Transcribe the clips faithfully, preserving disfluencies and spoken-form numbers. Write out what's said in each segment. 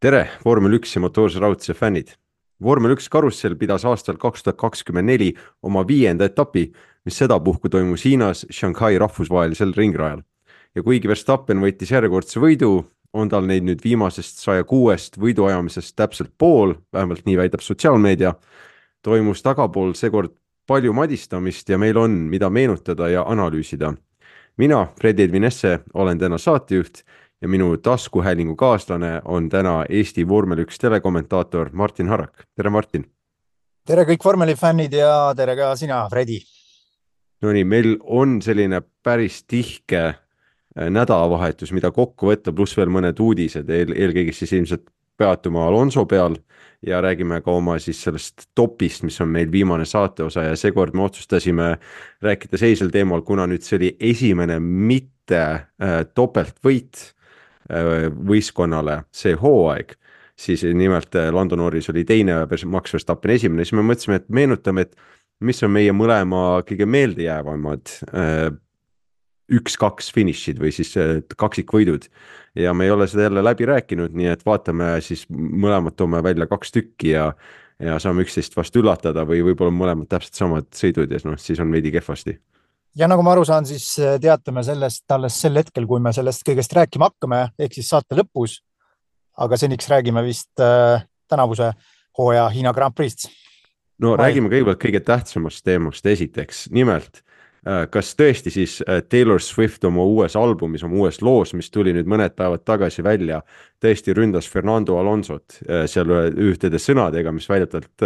tere, vormel üks ja motoorse raudse fännid. vormel üks karussell pidas aastal kaks tuhat kakskümmend neli oma viienda etapi, mis sedapuhku toimus Hiinas Shanghai rahvusvahelisel ringrajal. Ja kuigi Verstappen võitis järjekordse võidu, on tal neid nüüd viimasest saja kuuest võiduajamisest täpselt pool, vähemalt nii väidab sotsiaalmeedia. Toimus tagapool seekord palju madistamist ja meil on, mida meenutada ja analüüsida. Mina, Fred Edvin Esse, olen täna saatejuht ja minu taskuhäälingu kaaslane on täna Eesti vormel üks telekommentaator Martin Harak. Tere, Martin! Tere kõik vormeli fännid ja tere ka sina, Fredi! No nii, meil on selline päris tihke nädalavahetus, mida kokku võtta, pluss veel mõned uudised, eel, eelkõige siis ilmselt peatuma Alonso peal ja räägime ka oma siis sellest topist, mis on meil viimane saateosa ja seekord me otsustasime rääkida seisel teemal, kuna nüüd see oli esimene mitte äh, topeltvõit äh, võistkonnale see hooaeg, siis nimelt äh, Lando Norris oli teine, Max Verstappen esimene, siis me mõtlesime, et meenutame, et mis on meie mõlema kõige meeldejäävamad äh, üks-kaks finišid või siis kaksikvõidud ja me ei ole seda jälle läbi rääkinud, nii et vaatame siis mõlemad toome välja kaks tükki ja, ja saame üksteist vast üllatada või võib-olla mõlemad täpselt samad sõidud ja no, siis on veidi kehvasti. Ja nagu ma aru saan, siis teatame sellest alles sel hetkel, kui me sellest kõigest rääkima hakkame, ehk siis saate lõpus, aga seniks räägime vist äh, tänavuse hooaja Hiina Grand Prix'st. No Vai. Räägime kõigepealt kõige tähtsamast teemast esiteks, nimelt kas tõesti siis Taylor Swift oma uues albumis, oma uues loos, mis tuli nüüd mõned päevad tagasi välja, tõesti ründas Fernando Alonsot seal ühtede sõnadega, mis väidetavalt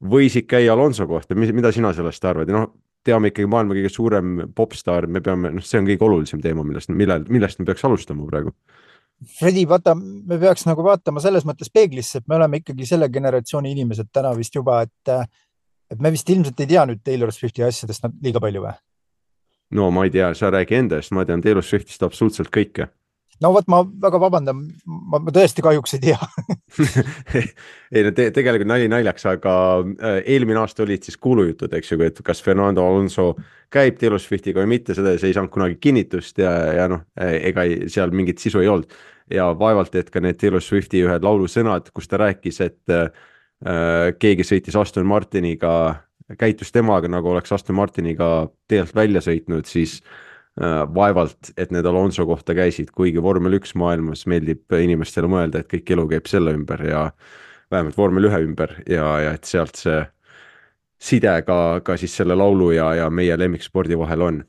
võisid käia Alonso kohta. Mida sina sellest arvad? No, teame ikkagi maailma kõige suurem popstar, me peame, no, see on kõige olulisem teema, millest, millest, millest me peaks alustama praegu. Fredi, vaata, me peaks nagu vaatama selles mõttes peeglisse, et me oleme ikkagi selle generatsiooni inimesed täna vist juba, et et me vist ilmselt ei tea nüüd Taylor Swifti asjadest liiga palju või? No ma ei tea, sa räägi endast, ma tean Taylor Swiftist absoluutselt kõike. No võt, ma väga vabandan, ma, ma tõesti kahjuks ei tea. ei, no te, tegelikult nali naljaks, aga eelmine aasta olid siis kuulujutud, eks ju, et kas Fernando Alonso käib Taylor Swiftiga või mitte, seda see ei saanud kunagi kinnitust ja, ja noh, ega seal mingit sisu ei olnud. Ja vaevalt, et ka need Taylor Swifti ühed laulu sõnad, kus ta rääkis, et keegi sõitis Aston Martiniga, käitus temaga, nagu oleks Aston Martiniga teelt välja sõitnud, siis äh, vaevalt, et need Alonso kohta käisid, kuigi vormel üks maailmas meeldib inimestele mõelda, et kõik elu käib selle ümber ja vähemalt vormel ühe ümber ja, ja et sealt see side ka, ka siis selle laulu ja, ja meie lemmikspordi vahel on.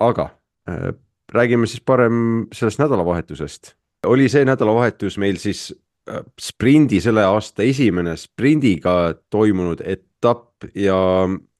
Aga äh, räägime siis parem sellest nädalavahetusest. Oli see nädalavahetus meil siis sprindi selle aasta esimene sprindiga toimunud etapp ja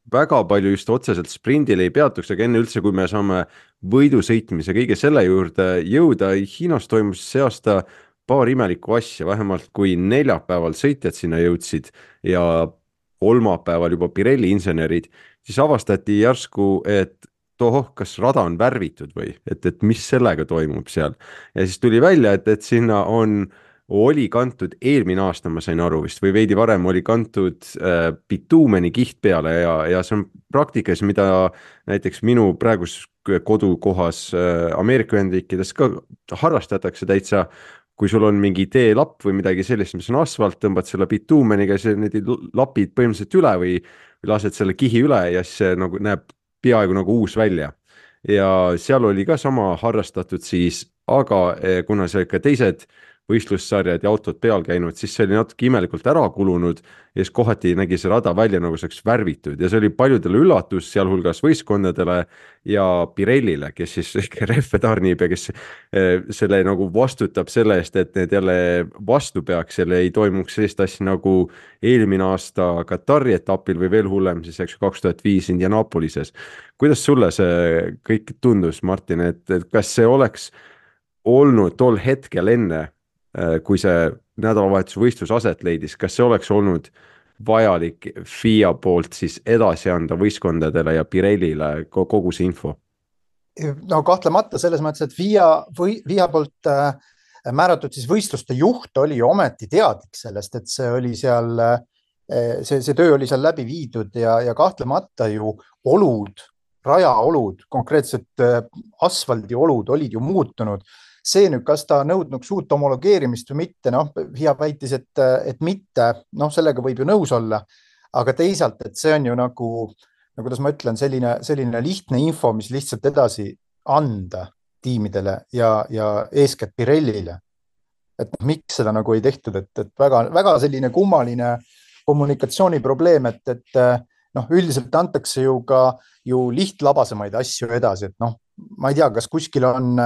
väga palju just otseselt sprindil ei peatuks, aga enne üldse, kui me saame võidu sõitmise kõige selle juurde jõuda, Hiinas toimus see aasta paar imelikku asja, vähemalt kui neljapäeval sõitjad sinna jõudsid ja kolmapäeval juba Pirelli insenerid, siis avastati järsku, et tohoh, kas rada on värvitud või, et, et mis sellega toimub seal. Ja siis tuli välja, et, et sinna on oli kantud eelmine aasta, ma sain aru vist, või veidi varem oli kantud äh, bituumeni kiht peale ja, ja see on praktikas, mida näiteks minu praegus kodukohas äh, Ameerika Ühendriikides ka harrastatakse täitsa, kui sul on mingi teelapp või midagi sellist, mis on asfalt, tõmbad selle bituumeniga, see need lapid põhimõtteliselt üle või, või lased selle kihi üle ja siis see nagu näeb peaaegu nagu uus välja. Ja seal oli ka sama harrastatud siis, aga kuna see ka teised võistlussarjad ja autod peal käinud, siis see oli natuke imelikult ära kulunud ja siis kohati nägi see rada välja nagu saaks värvitud ja see oli paljudele üllatus, sealhulgas võistkondadele ja Pirellile, kes siis rehve tarnib ja kes selle nagu vastutab selle eest, et need jälle vastu peaks, jälle ei toimuks sellist asja nagu eelmine aasta Katari etapil või veel hullem siis eks kaks tuhat viis Indianapolises. Kuidas sulle see kõik tundus, Martin, et, et kas see oleks olnud tol hetkel enne, kui see nädalavahetuse võistlus aset leidis, kas see oleks olnud vajalik F I A poolt siis edasi anda võistkondadele ja Pirellile kogu see info? No kahtlemata selles mõttes, et F I A, F I A poolt määratud siis võistluste juht oli ometi teadlik sellest, et see oli seal, see, see töö oli seal läbi viidud ja, ja kahtlemata ju olud, rajaolud, konkreetselt asfaldi olud olid ju muutunud see nüüd, kas ta nõudnuks uut homologeerimist või mitte, noh, F I A väitis, et, et mitte, noh, sellega võib ju nõus olla, aga teisalt, et see on ju nagu, no kuidas ma ütlen, selline, selline lihtne info, mis lihtsalt edasi anda tiimidele ja, ja eeskätt Pirellile. Et miks seda nagu ei tehtud, et, et väga, väga selline kummaline kommunikatsiooniprobleem, et, et noh, üldiselt antakse ju ka ju lihtlabasemaid asju edasi, et noh, ma ei tea, kas kuskil on,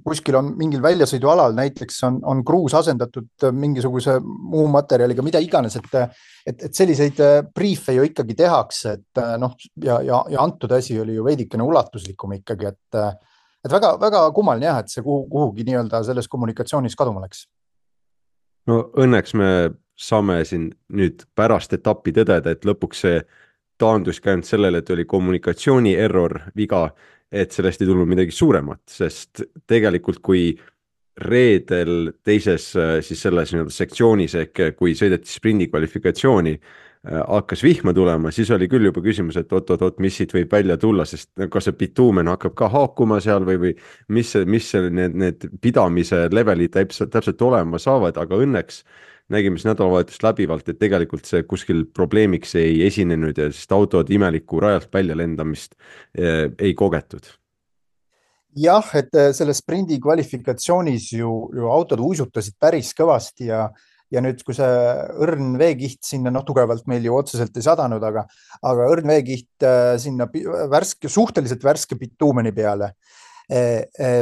kuskil on mingil väljasõidualal näiteks on, on kruus asendatud mingisuguse muu materjaliga, mida iganes, et, et, et selliseid briefe ju ikkagi tehakse, et noh, ja, ja, ja antud asi oli ju veidikene ulatuslikum ikkagi, et et väga, väga kummaline jah, et see kuhu, kuhugi nii-öelda selles kommunikatsioonis kaduma läks. No õnneks me saame siin nüüd pärast etappi tõdeda, et lõpuks see taandus ka ainult sellele, et oli kommunikatsiooni error, viga, et sellest ei tulnud midagi suuremat, sest tegelikult kui reedel teises siis selles nii-öelda sektsioonis ehk kui sõideti sprindi kvalifikatsiooni, hakkas vihma tulema, siis oli küll juba küsimus, et oot-oot-oot, mis siit võib välja tulla, sest kas see bituumen hakkab ka haakuma seal või, või mis, mis need, need pidamise levelid täpselt, täpselt olema saavad, aga õnneks nägime siis nädalavahetust läbivalt, et tegelikult see kuskil probleemiks ei esinenud ja sest autod imeliku rajalt välja lendamist eh, ei kogetud. Jah, et selles sprindi kvalifikatsioonis ju, ju autod uisutasid päris kõvasti ja Ja nüüd, kui see õrn veekiht sinna, noh, tugevalt meil ju otseselt ei sadanud, aga, aga õrn veekiht sinna värske, suhteliselt värske bituumeni peale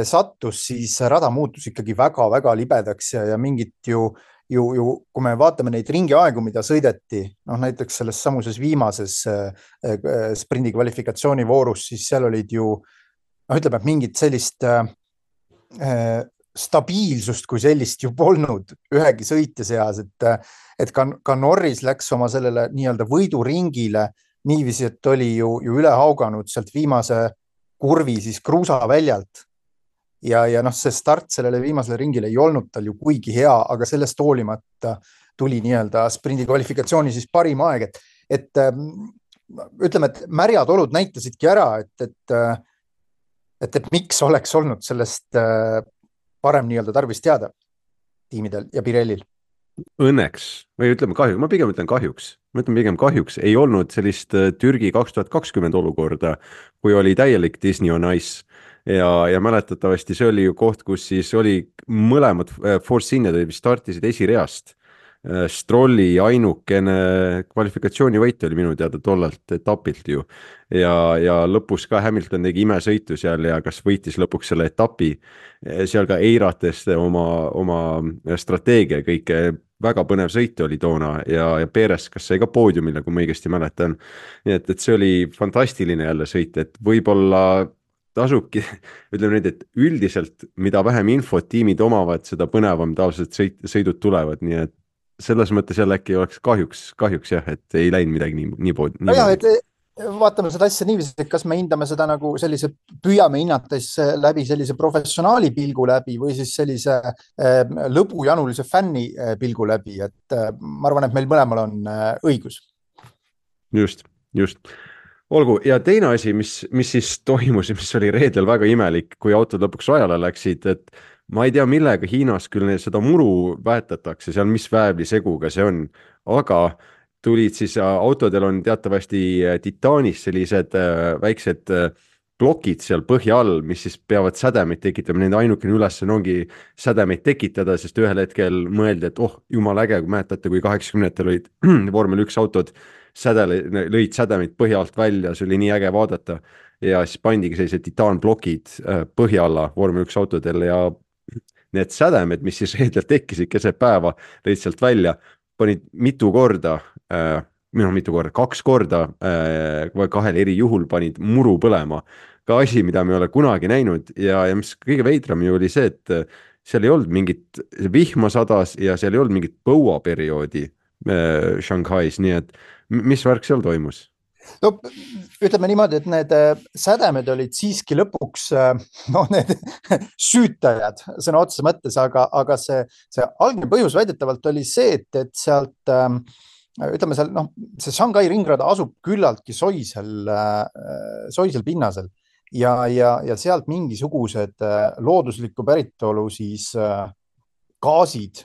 sattus, siis rada muutus ikkagi väga-väga libedaks ja, ja mingit ju, ju, ju, kui me vaatame neid ringiaegu, mida sõideti, noh, näiteks selles samuses viimases sprindi kvalifikatsiooni voorus, siis seal olid ju, noh, ütleme, et mingit sellist äh, stabiilsust kui sellist ju polnud ühegi sõitja seas, et, et ka, ka Norris läks oma sellele nii-öelda võiduringile niiviisi, et oli ju, ju üle hauganud sealt viimase kurvi siis kruusaväljalt. Ja, ja noh, see start sellele viimasele ringile ei olnud tal ju kuigi hea, aga sellest hoolimata tuli nii-öelda sprindi kvalifikatsiooni siis parim aeg, et, et ütleme, et märjad olud näitasidki ära, et, et, et, et miks oleks olnud sellest parem nii-öelda tarvis teada tiimidel ja Pirellil. Õnneks, või ütleme kahjuks, ma pigem ütlen kahjuks, ma ütlen pigem kahjuks, ei olnud sellist Türgi kaks tuhat kakskümmend olukorda, kui oli täielik Disney on Ice ja, ja mäletatavasti see oli ju koht, kus siis oli mõlemad Force Injad startisid esireast. Strolli ainukene kvalifikatsioonivõit oli minu teada tollalt etapilt ju ja, ja lõpus ka Hamilton tegi imesõitu seal ja kas võitis lõpuks selle etapi seal ka eirates oma, oma strateegia kõike, väga põnev sõit oli toona ja, ja Perez kas sai ka poodiumile, kui ma õigesti mäletan, nii et, et see oli fantastiline jälle sõit, et võib-olla tasubki, ütleme nüüd, et üldiselt mida vähem infot tiimid omavad, seda põnevam tavaliselt sõit, sõidud tulevad, nii et selles mõttes jälle äkki oleks kahjuks, kahjuks jah, et ei läinud midagi nii, nii pood. No jah, et vaatame seda asja niiviisi, et kas me hindame seda nagu sellise, püüame hinnates läbi sellise professionaali pilgu läbi või siis sellise äh, lõbujanulise fänni äh, pilgu läbi, et äh, ma arvan, et meil mõlemal on äh, õigus. Just, just. Olgu, ja teine asi, mis, mis siis toimus, mis oli reedel väga imelik, kui autod lõpuks rajale läksid, et ma ei tea, millega Hiinas küll neil seda muru väetatakse, seal mis väävliseguga see on, aga tulid siis, autodel on teatavasti titaanis sellised väiksed plokid seal põhja all, mis siis peavad sädemeid tekitama, nende ainukene ülesanne ongi sädemeid tekitada, sest ühel hetkel mõeldi, et oh, jumal äge, kui mäletate, kui kaheksakümnendatel olid vormel üks autod, sädele, lõid sädemeid põhja alt välja, see oli nii äge vaadata ja siis pandigi sellised titaanblokid põhja alla vormel üks autodel ja need sädemed, mis siis reedel tekkisid keset päeva, lõid sealt välja, panid mitu korda, äh, minu mitu korda, kaks korda äh, kahel eri juhul panid muru põlema. Ka asi, mida me ei ole kunagi näinud ja, ja mis kõige veidram ju oli see, et seal ei olnud mingit vihma sadas ja seal ei olnud mingit põuaperioodi äh, Shanghais, nii et mis värk seal toimus? No, ütleme niimoodi, et need sädemed olid siiski lõpuks no, need süütajad sõna otseses mõttes, aga, aga see, see algne põhjus väidetavalt oli see, et, et sealt ütleme seal, noh, see Shanghai ringrada asub küllaltki soisel, soisel pinnasel ja, ja, ja sealt mingisugused looduslikku päritolu siis gaasid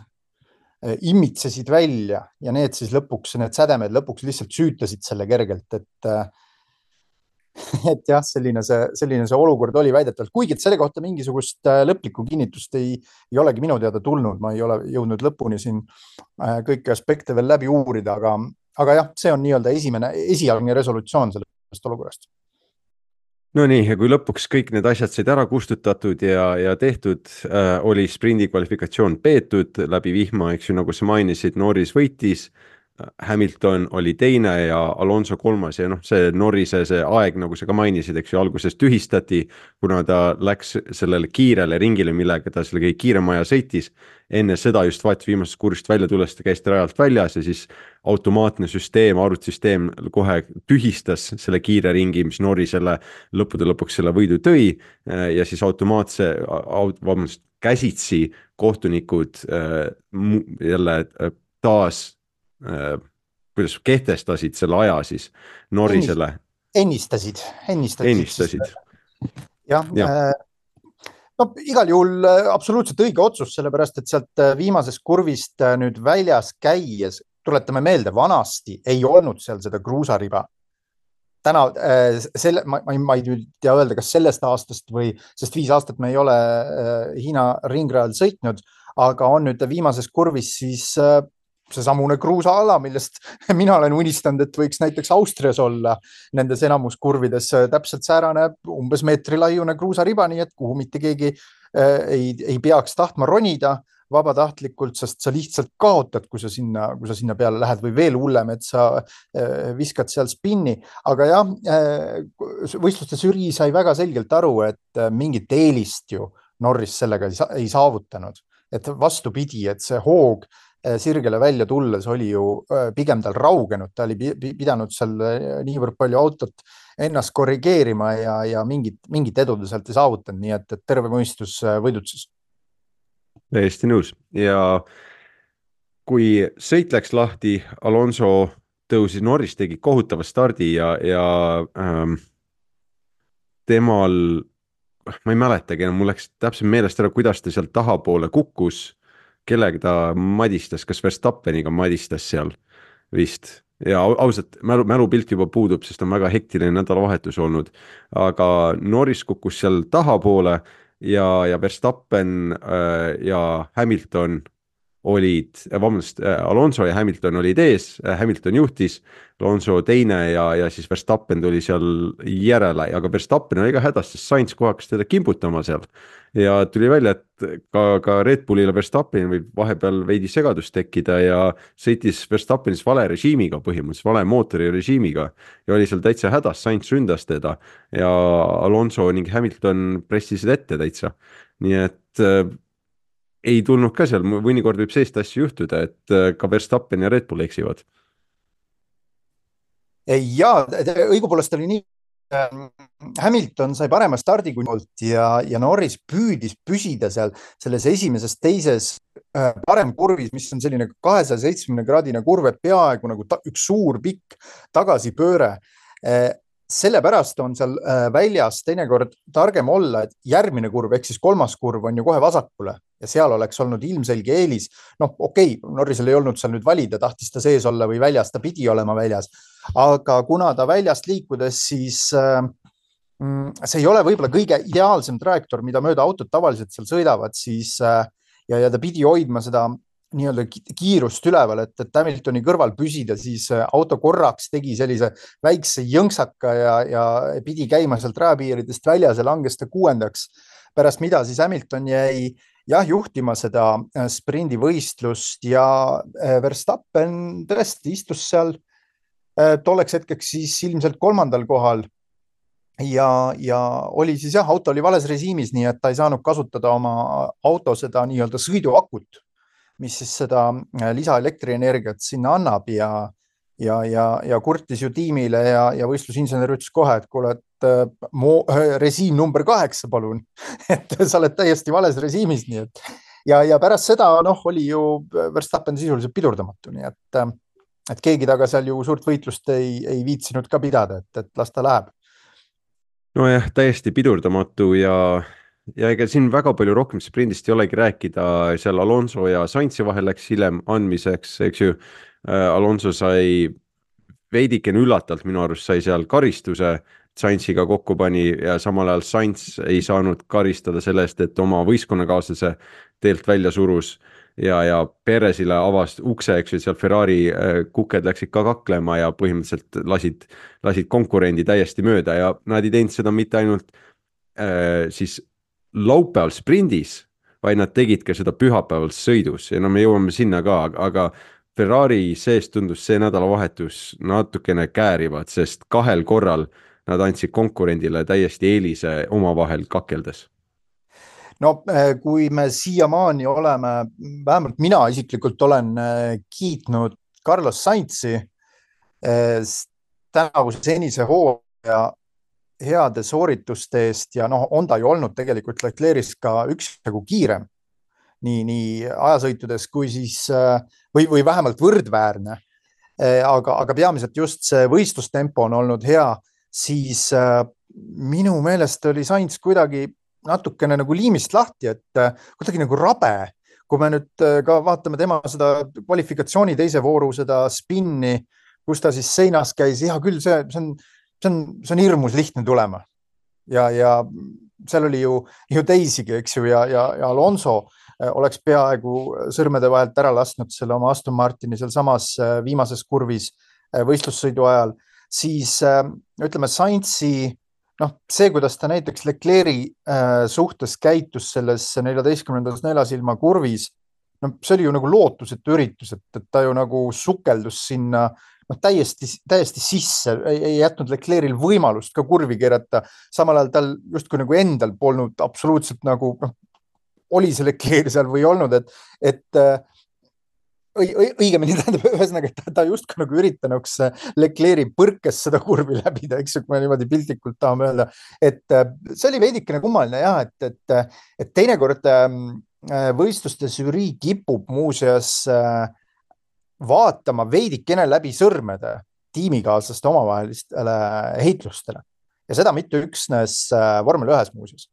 imitsesid välja ja need siis lõpuks, need sädemed lõpuks lihtsalt süütasid selle kergelt, et et jah, selline see, selline see olukord oli väidetavalt, kuigi et selle kohta mingisugust lõplikku kinnitust ei, ei olegi minu teada tulnud, ma ei ole jõudnud lõpuni siin kõiki aspekte veel läbi uurida, aga, aga jah, see on nii-öelda esimene, esialgne resolutsioon sellest olukorrast. No nii, ja kui lõpuks kõik need asjad said ära kustutatud ja, ja tehtud, äh, oli sprindi kvalifikatsioon peetud läbi vihma, eks ju, nagu sa mainisid, Norris võitis, Hamilton oli teine ja Alonso kolmas ja noh, see Norrise see aeg, nagu sa ka mainisid, eks ju, alguses tühistati, kuna ta läks sellele kiirele ringile, millega ta selle kõige kiirema aja sõitis. Enne seda just vaat viimasest kursist välja tulles ta käis rajalt väljas ja siis automaatne süsteem, arvutisüsteem kohe tühistas selle kiire ringi, mis Norrisele lõppude lõpuks selle võidu tõi ja siis automaatse, vabandust, käsitsi kohtunikud jälle taas Äh, kuidas kehtestasid selle aja siis Norrisele. Ennistasid, ennistasid. Ennistasid. jah ja. äh, no igal juhul absoluutselt õige otsus, sellepärast et sealt viimasest kurvist nüüd väljas käies, tuletame meelde, vanasti ei olnud seal seda kruusariba. Täna äh, selle, ma, ma ei tea öelda, kas sellest aastast või, sest viis aastat me ei ole äh, Hiina ringrajal sõitnud, aga on nüüd viimases kurvis siis äh, see samune kruusaala, millest mina olen unistanud, et võiks näiteks Austrias olla nendes enamuskurvides täpselt säärane umbes meetri laiune kruusariba, nii et kuhu mitte keegi ei, ei peaks tahtma ronida vabatahtlikult, sest sa lihtsalt kaotad, kui sa sinna, kui sa sinna peale lähed või veel hullem, et sa viskad seal spinni. Aga jah, võistluste žürii sai väga selgelt aru, et mingit eelist ju Norris sellega ei saavutanud, et vastupidi, et see hoog sirgele välja tulles oli ju pigem tal raugenud, ta oli pidanud seal niivõrd palju autot ennast korrigeerima ja, ja mingit, mingit edu ta sealt ei saavutanud, nii et, et terve mõistus võidutses. Täiesti nõus ja kui sõit läks lahti, Alonso tõusis, Norris tegi kohutava stardi ja, ja ähm, temal, ma ei mäletagi, mul läks täpselt meelest ära, kuidas ta sealt tahapoole kukkus, kellega ta madistas, kas Verstappeniga madistas seal vist ja ausalt mälu, mälupilt juba puudub, sest on väga hektiline nädalavahetus olnud, aga Norris kukkus seal tahapoole ja, ja Verstappen äh, ja Hamilton olid, vabandust, Alonso ja Hamilton olid ees, Hamilton juhtis, Alonso teine ja, ja siis Verstappen tuli seal järele, aga Verstappen oli ka hädas, sest Sainz kohe hakkas teda kimbutama seal ja tuli välja, et ka, ka Red Bullile Verstappen võib vahepeal veidi segadust tekkida ja sõitis Verstappenis vale režiimiga põhimõtteliselt, vale mootori režiimiga ja oli seal täitsa hädas, Sainz ründas teda ja Alonso ning Hamilton pressisid ette täitsa, nii et ei tulnud ka seal, mõnikord võib sellist asju juhtuda, et ka Verstappen ja Red Bull eksivad. Ja, õigupoolest oli nii, Hamilton sai parema stardi kui ja, ja Norris püüdis püsida seal selles esimeses, teises parem kurvis, mis on selline kahesaja seitsmekümne kraadine kurv, et peaaegu nagu ta, üks suur pikk tagasipööre. Sellepärast on seal väljas teinekord targem olla, et järgmine kurv, ehk siis kolmas kurv on ju kohe vasakule ja seal oleks olnud ilmselge eelis. Noh, okei, Norrisel ei olnud seal nüüd valida, tahtis ta sees olla või väljas, ta pidi olema väljas. Aga kuna ta väljast liikudes, siis mm, see ei ole võib-olla kõige ideaalsem trajektoor, mida mööda autod tavaliselt seal sõidavad, siis ja, ja ta pidi hoidma seda nii-öelda kiirust üleval, et, et Hamiltoni kõrval püsida, siis auto korraks tegi sellise väikse jõnksaka ja, ja pidi käima sealt rajapiiridest väljas ja langes ta kuuendaks, pärast mida siis Hamilton jäi jah, juhtima seda sprindivõistlust ja Verstappen tõesti istus seal tolleks hetkeks siis ilmselt kolmandal kohal ja, ja oli siis jah, auto oli vales režiimis, nii et ta ei saanud kasutada oma auto seda nii-öelda sõiduakut, mis siis seda lisaelektrienergiat sinna annab ja, ja, ja, ja kurtis ju tiimile ja, ja võistlusinsener ütles kohe, et kuule, et mo, režiim number kaheksa, palun, et sa oled täiesti vales režiimis, nii et ja, ja pärast seda noh, oli ju Verstappen sisuliselt pidurdamatu, nii et, et keegi taga seal ju suurt võitlust ei, ei viitsinud ka pidada, et, et las ta läheb. nojah, täiesti pidurdamatu ja, ja ega siin väga palju rohkem sprindist ei olegi rääkida, seal Alonso ja Sainzi vahel läks hiljem andmiseks, eks ju. Alonso sai veidikene üllatalt minu arust sai seal karistuse, Sainziga kokku pani ja samal ajal Sainz ei saanud karistada selle eest, et oma võistkonnakaaslase teelt välja surus ja, ja Perezile avas ukse, eks ju, seal Ferrari kuked läksid ka kaklema ja põhimõtteliselt lasid, lasid konkurendi täiesti mööda ja nad ei teinud seda mitte ainult äh, siis laupäeval sprindis, vaid nad tegid ka seda pühapäeval sõidus ja no me jõuame sinna ka, aga Ferrari sees tundus see nädalavahetus natukene käärivad, sest kahel korral nad andsid konkurendile täiesti eelise omavahel kakeldes. no kui me siiamaani oleme, vähemalt mina isiklikult olen kiitnud Carlos Sainzi tänavuse senise hooaja heade soorituste eest ja noh, on ta ju olnud tegelikult Leclerc'is ka üksjagu kiirem. nii, nii ajasõitudes kui siis või, või vähemalt võrdväärne. Aga, aga peamiselt just see võistlustempo on olnud hea, siis minu meelest oli Sainz kuidagi natukene nagu liimist lahti, et kuidagi nagu rabe. Kui me nüüd ka vaatame tema seda kvalifikatsiooni teise vooru, seda spinni, kus ta siis seinas käis, hea küll, see, see, on, see, on, see on hirmus lihtne tulema. Ja, ja seal oli ju, ju teisigi, eks ju, ja, ja, ja Alonso oleks peaaegu sõrmede vahelt ära lasknud selle oma Aston Martini seal samas viimases kurvis võistlussõidu ajal, siis ütleme Sainzi, noh, see, kuidas ta näiteks Leclerc'i suhtes käitus selles neljateistkümnendas neljasilma kurvis, no see oli ju nagu lootusetu üritus, et, et ta ju nagu sukeldus sinna noh, täiesti, täiesti sisse, ei, ei jätnud Leclerc'il võimalust ka kurvi keerata, samal ajal tal justkui nagu endal polnud absoluutselt nagu noh, oli see Leclerc seal või olnud, et, et õigemini tähendab ühesõnaga, et ta justkui nagu üritanuks Leclerc'i põrkes seda kurvi läbida, eks ju, kui me niimoodi piltlikult tahame öelda, et see oli veidikene kummaline jah, et, et, et teinekord võistluste žürii kipub muuseas vaatama veidikene läbi sõrmede tiimikaaslaste omavahelistele heitlustele ja seda mitte üksnes vormel ühes muuseas,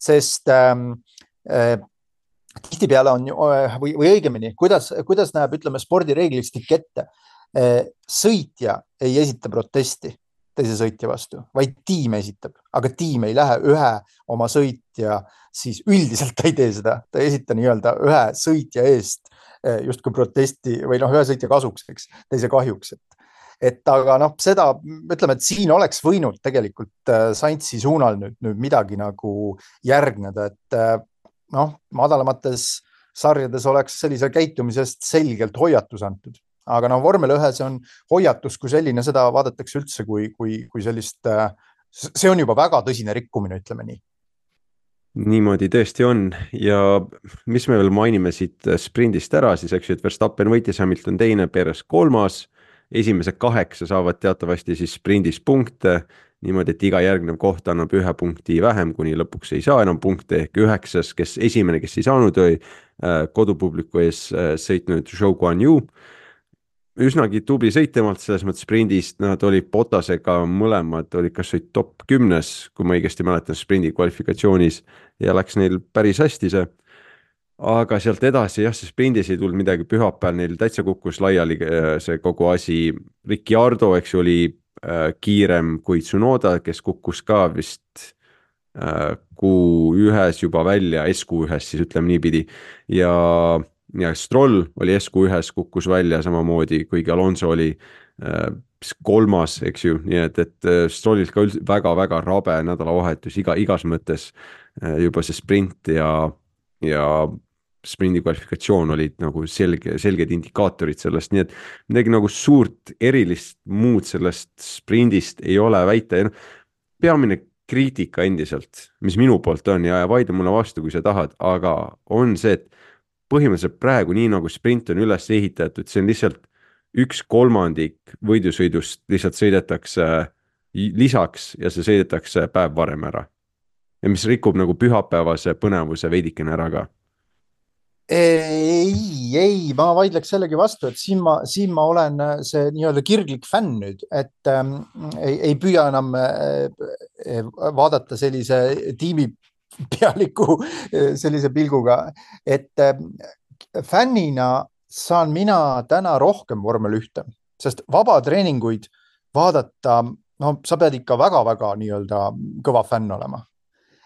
sest äh, tihtipeale on või, või õigemini, kuidas, kuidas näeb, ütleme, spordireeglistik ette. Sõitja ei esita protesti teise sõitja vastu, vaid tiim esitab, aga tiim ei lähe ühe oma sõitja, siis üldiselt ta ei tee seda, ta ei esita nii-öelda ühe sõitja eest justkui protesti või noh, ühe sõitja kasuks, eks, teise kahjuks. Et, et aga noh, seda ütleme, et siin oleks võinud tegelikult Sainzi suunal nüüd, nüüd midagi nagu järgneda, et noh, madalamates sarjades oleks sellise käitumisest selgelt hoiatus antud. Aga no vormel ühes on hoiatus kui selline, seda vaadatakse üldse kui, kui, kui sellist, see on juba väga tõsine rikkumine, ütleme nii. Niimoodi tõesti on ja mis me veel mainime siit sprindist ära, siis eks ju, et Verstappen võitis, Hamilton teine, Perez kolmas, esimese kaheksa saavad teatavasti siis sprindis punkte, niimoodi, et iga järgnev koht annab ühe punkti vähem, kuni lõpuks ei saa enam punkte, ehk üheksas, kes esimene, kes ei saanud, oli kodupubliku ees sõitnud Zhou Guanyu. Üsnagi tubli sõit temalt selles mõttes sprindist, nad olid Bottasega mõlemad, olid kas olid top kümnes, kui ma õigesti mäletan sprindi kvalifikatsioonis ja läks neil päris hästi see. Aga sealt edasi jah, see sprindis ei tulnud midagi, pühapäeval neil täitsa kukkus laiali see kogu asi. Ricciardo, eks ju, oli kiirem kui Tsunoda, kes kukkus ka vist Q ühes juba välja, S Q ühes siis ütleme niipidi ja, ja Stroll oli S Q ühes, kukkus välja samamoodi, kuigi Alonso oli kolmas, eks ju, nii et, et Strollilt ka väga-väga rabe nädalavahetus iga, igas mõttes juba see sprint ja, ja sprindi kvalifikatsioon olid nagu selge, selged indikaatorid sellest, nii et midagi nagu suurt erilist muud sellest sprindist ei ole väita ja no, peamine kriitika endiselt, mis minu poolt on ja, ja vaidle mulle vastu, kui sa tahad, aga on see, et põhimõtteliselt praegu nii nagu sprint on üles ehitatud, see on lihtsalt üks kolmandik võidusõidust lihtsalt sõidetakse lisaks ja see sõidetakse päev varem ära. Ja mis rikub nagu pühapäevase põnevuse veidikene ära ka. ei, ei, ma vaidleks sellegi vastu, et siin ma, siin ma olen see nii-öelda kirglik fänn nüüd, et ähm, ei, ei püüa enam äh, vaadata sellise tiimi pealiku sellise pilguga, et äh, fännina saan mina täna rohkem vormel ühte, sest vabatreeninguid vaadata, no sa pead ikka väga-väga nii-öelda kõva fänn olema.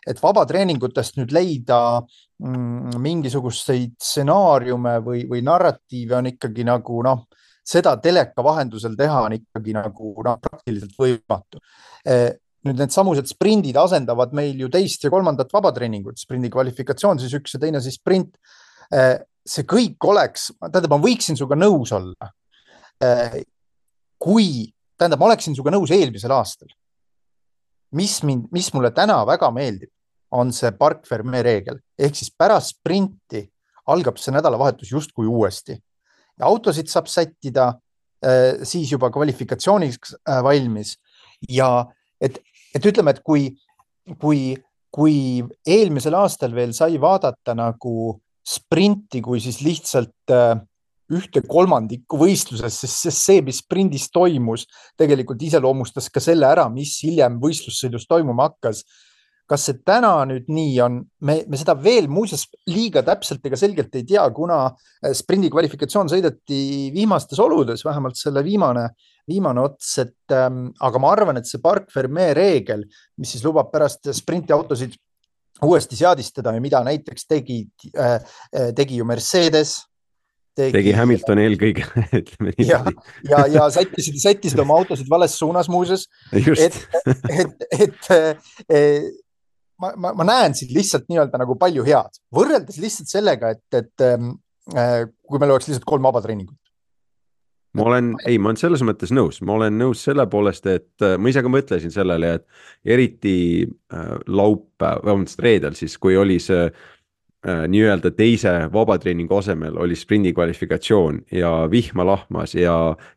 Et vabatreeningutest nüüd leida mm, mingisuguseid stsenaariume või, või narratiive on ikkagi nagu noh, seda teleka vahendusel teha on ikkagi nagu noh, praktiliselt võimatu. Nüüd need samused sprindid asendavad meil ju teist ja kolmandat vabatreeningut, sprindi kvalifikatsioon siis üks ja teine siis sprint. See kõik oleks, tähendab, ma võiksin suga nõus olla. Kui, tähendab, ma oleksin suga nõus eelmisel aastal. Mis, mind, mis mulle täna väga meeldib, on see Parc Fermé reegel. Ehk siis pärast sprinti algab see nädalavahetus justkui uuesti. Ja autosid saab sättida siis juba kvalifikatsiooniks valmis. Ja et, et ütleme, et kui, kui, kui eelmisel aastal veel sai vaadata nagu sprinti, kui siis lihtsalt ühte kolmandikku võistluses, sest see, mis sprindis toimus, tegelikult iseloomustas ka selle ära, mis hiljem võistlussõidus toimuma hakkas. Kas see täna nüüd nii on? Me, me seda veel muuseas liiga täpselt ega selgelt ei tea, kuna sprindi kvalifikatsioon sõideti viimastes oludes, vähemalt selle viimane, viimane ots, et, ähm, aga ma arvan, et see Parc Fermé reegel, mis siis lubab pärast sprintiautosid uuesti seadistada ja mida näiteks tegi, äh, tegi ju Mercedes, Tegi, tegi Hamilton eelkõige, ütleme nii. Ja, ja, ja sättisid, sättisid oma autosid vales suunas muuses. Et, et, et, et ma, ma, ma näen siin lihtsalt nii-öelda nagu palju head. Võrreldes lihtsalt sellega, et, et kui meil oleks lihtsalt kolm vabatreeningut. Ma olen, ei, ma olen selles mõttes nõus. Ma olen nõus selle poolest, et ma ise ka mõtlesin sellele, et eriti laupäev, vähemalt reedel siis, kui oli see nii-öelda teise vabatreeningu asemel oli sprindi kvalifikatsioon ja vihma lahmas ja,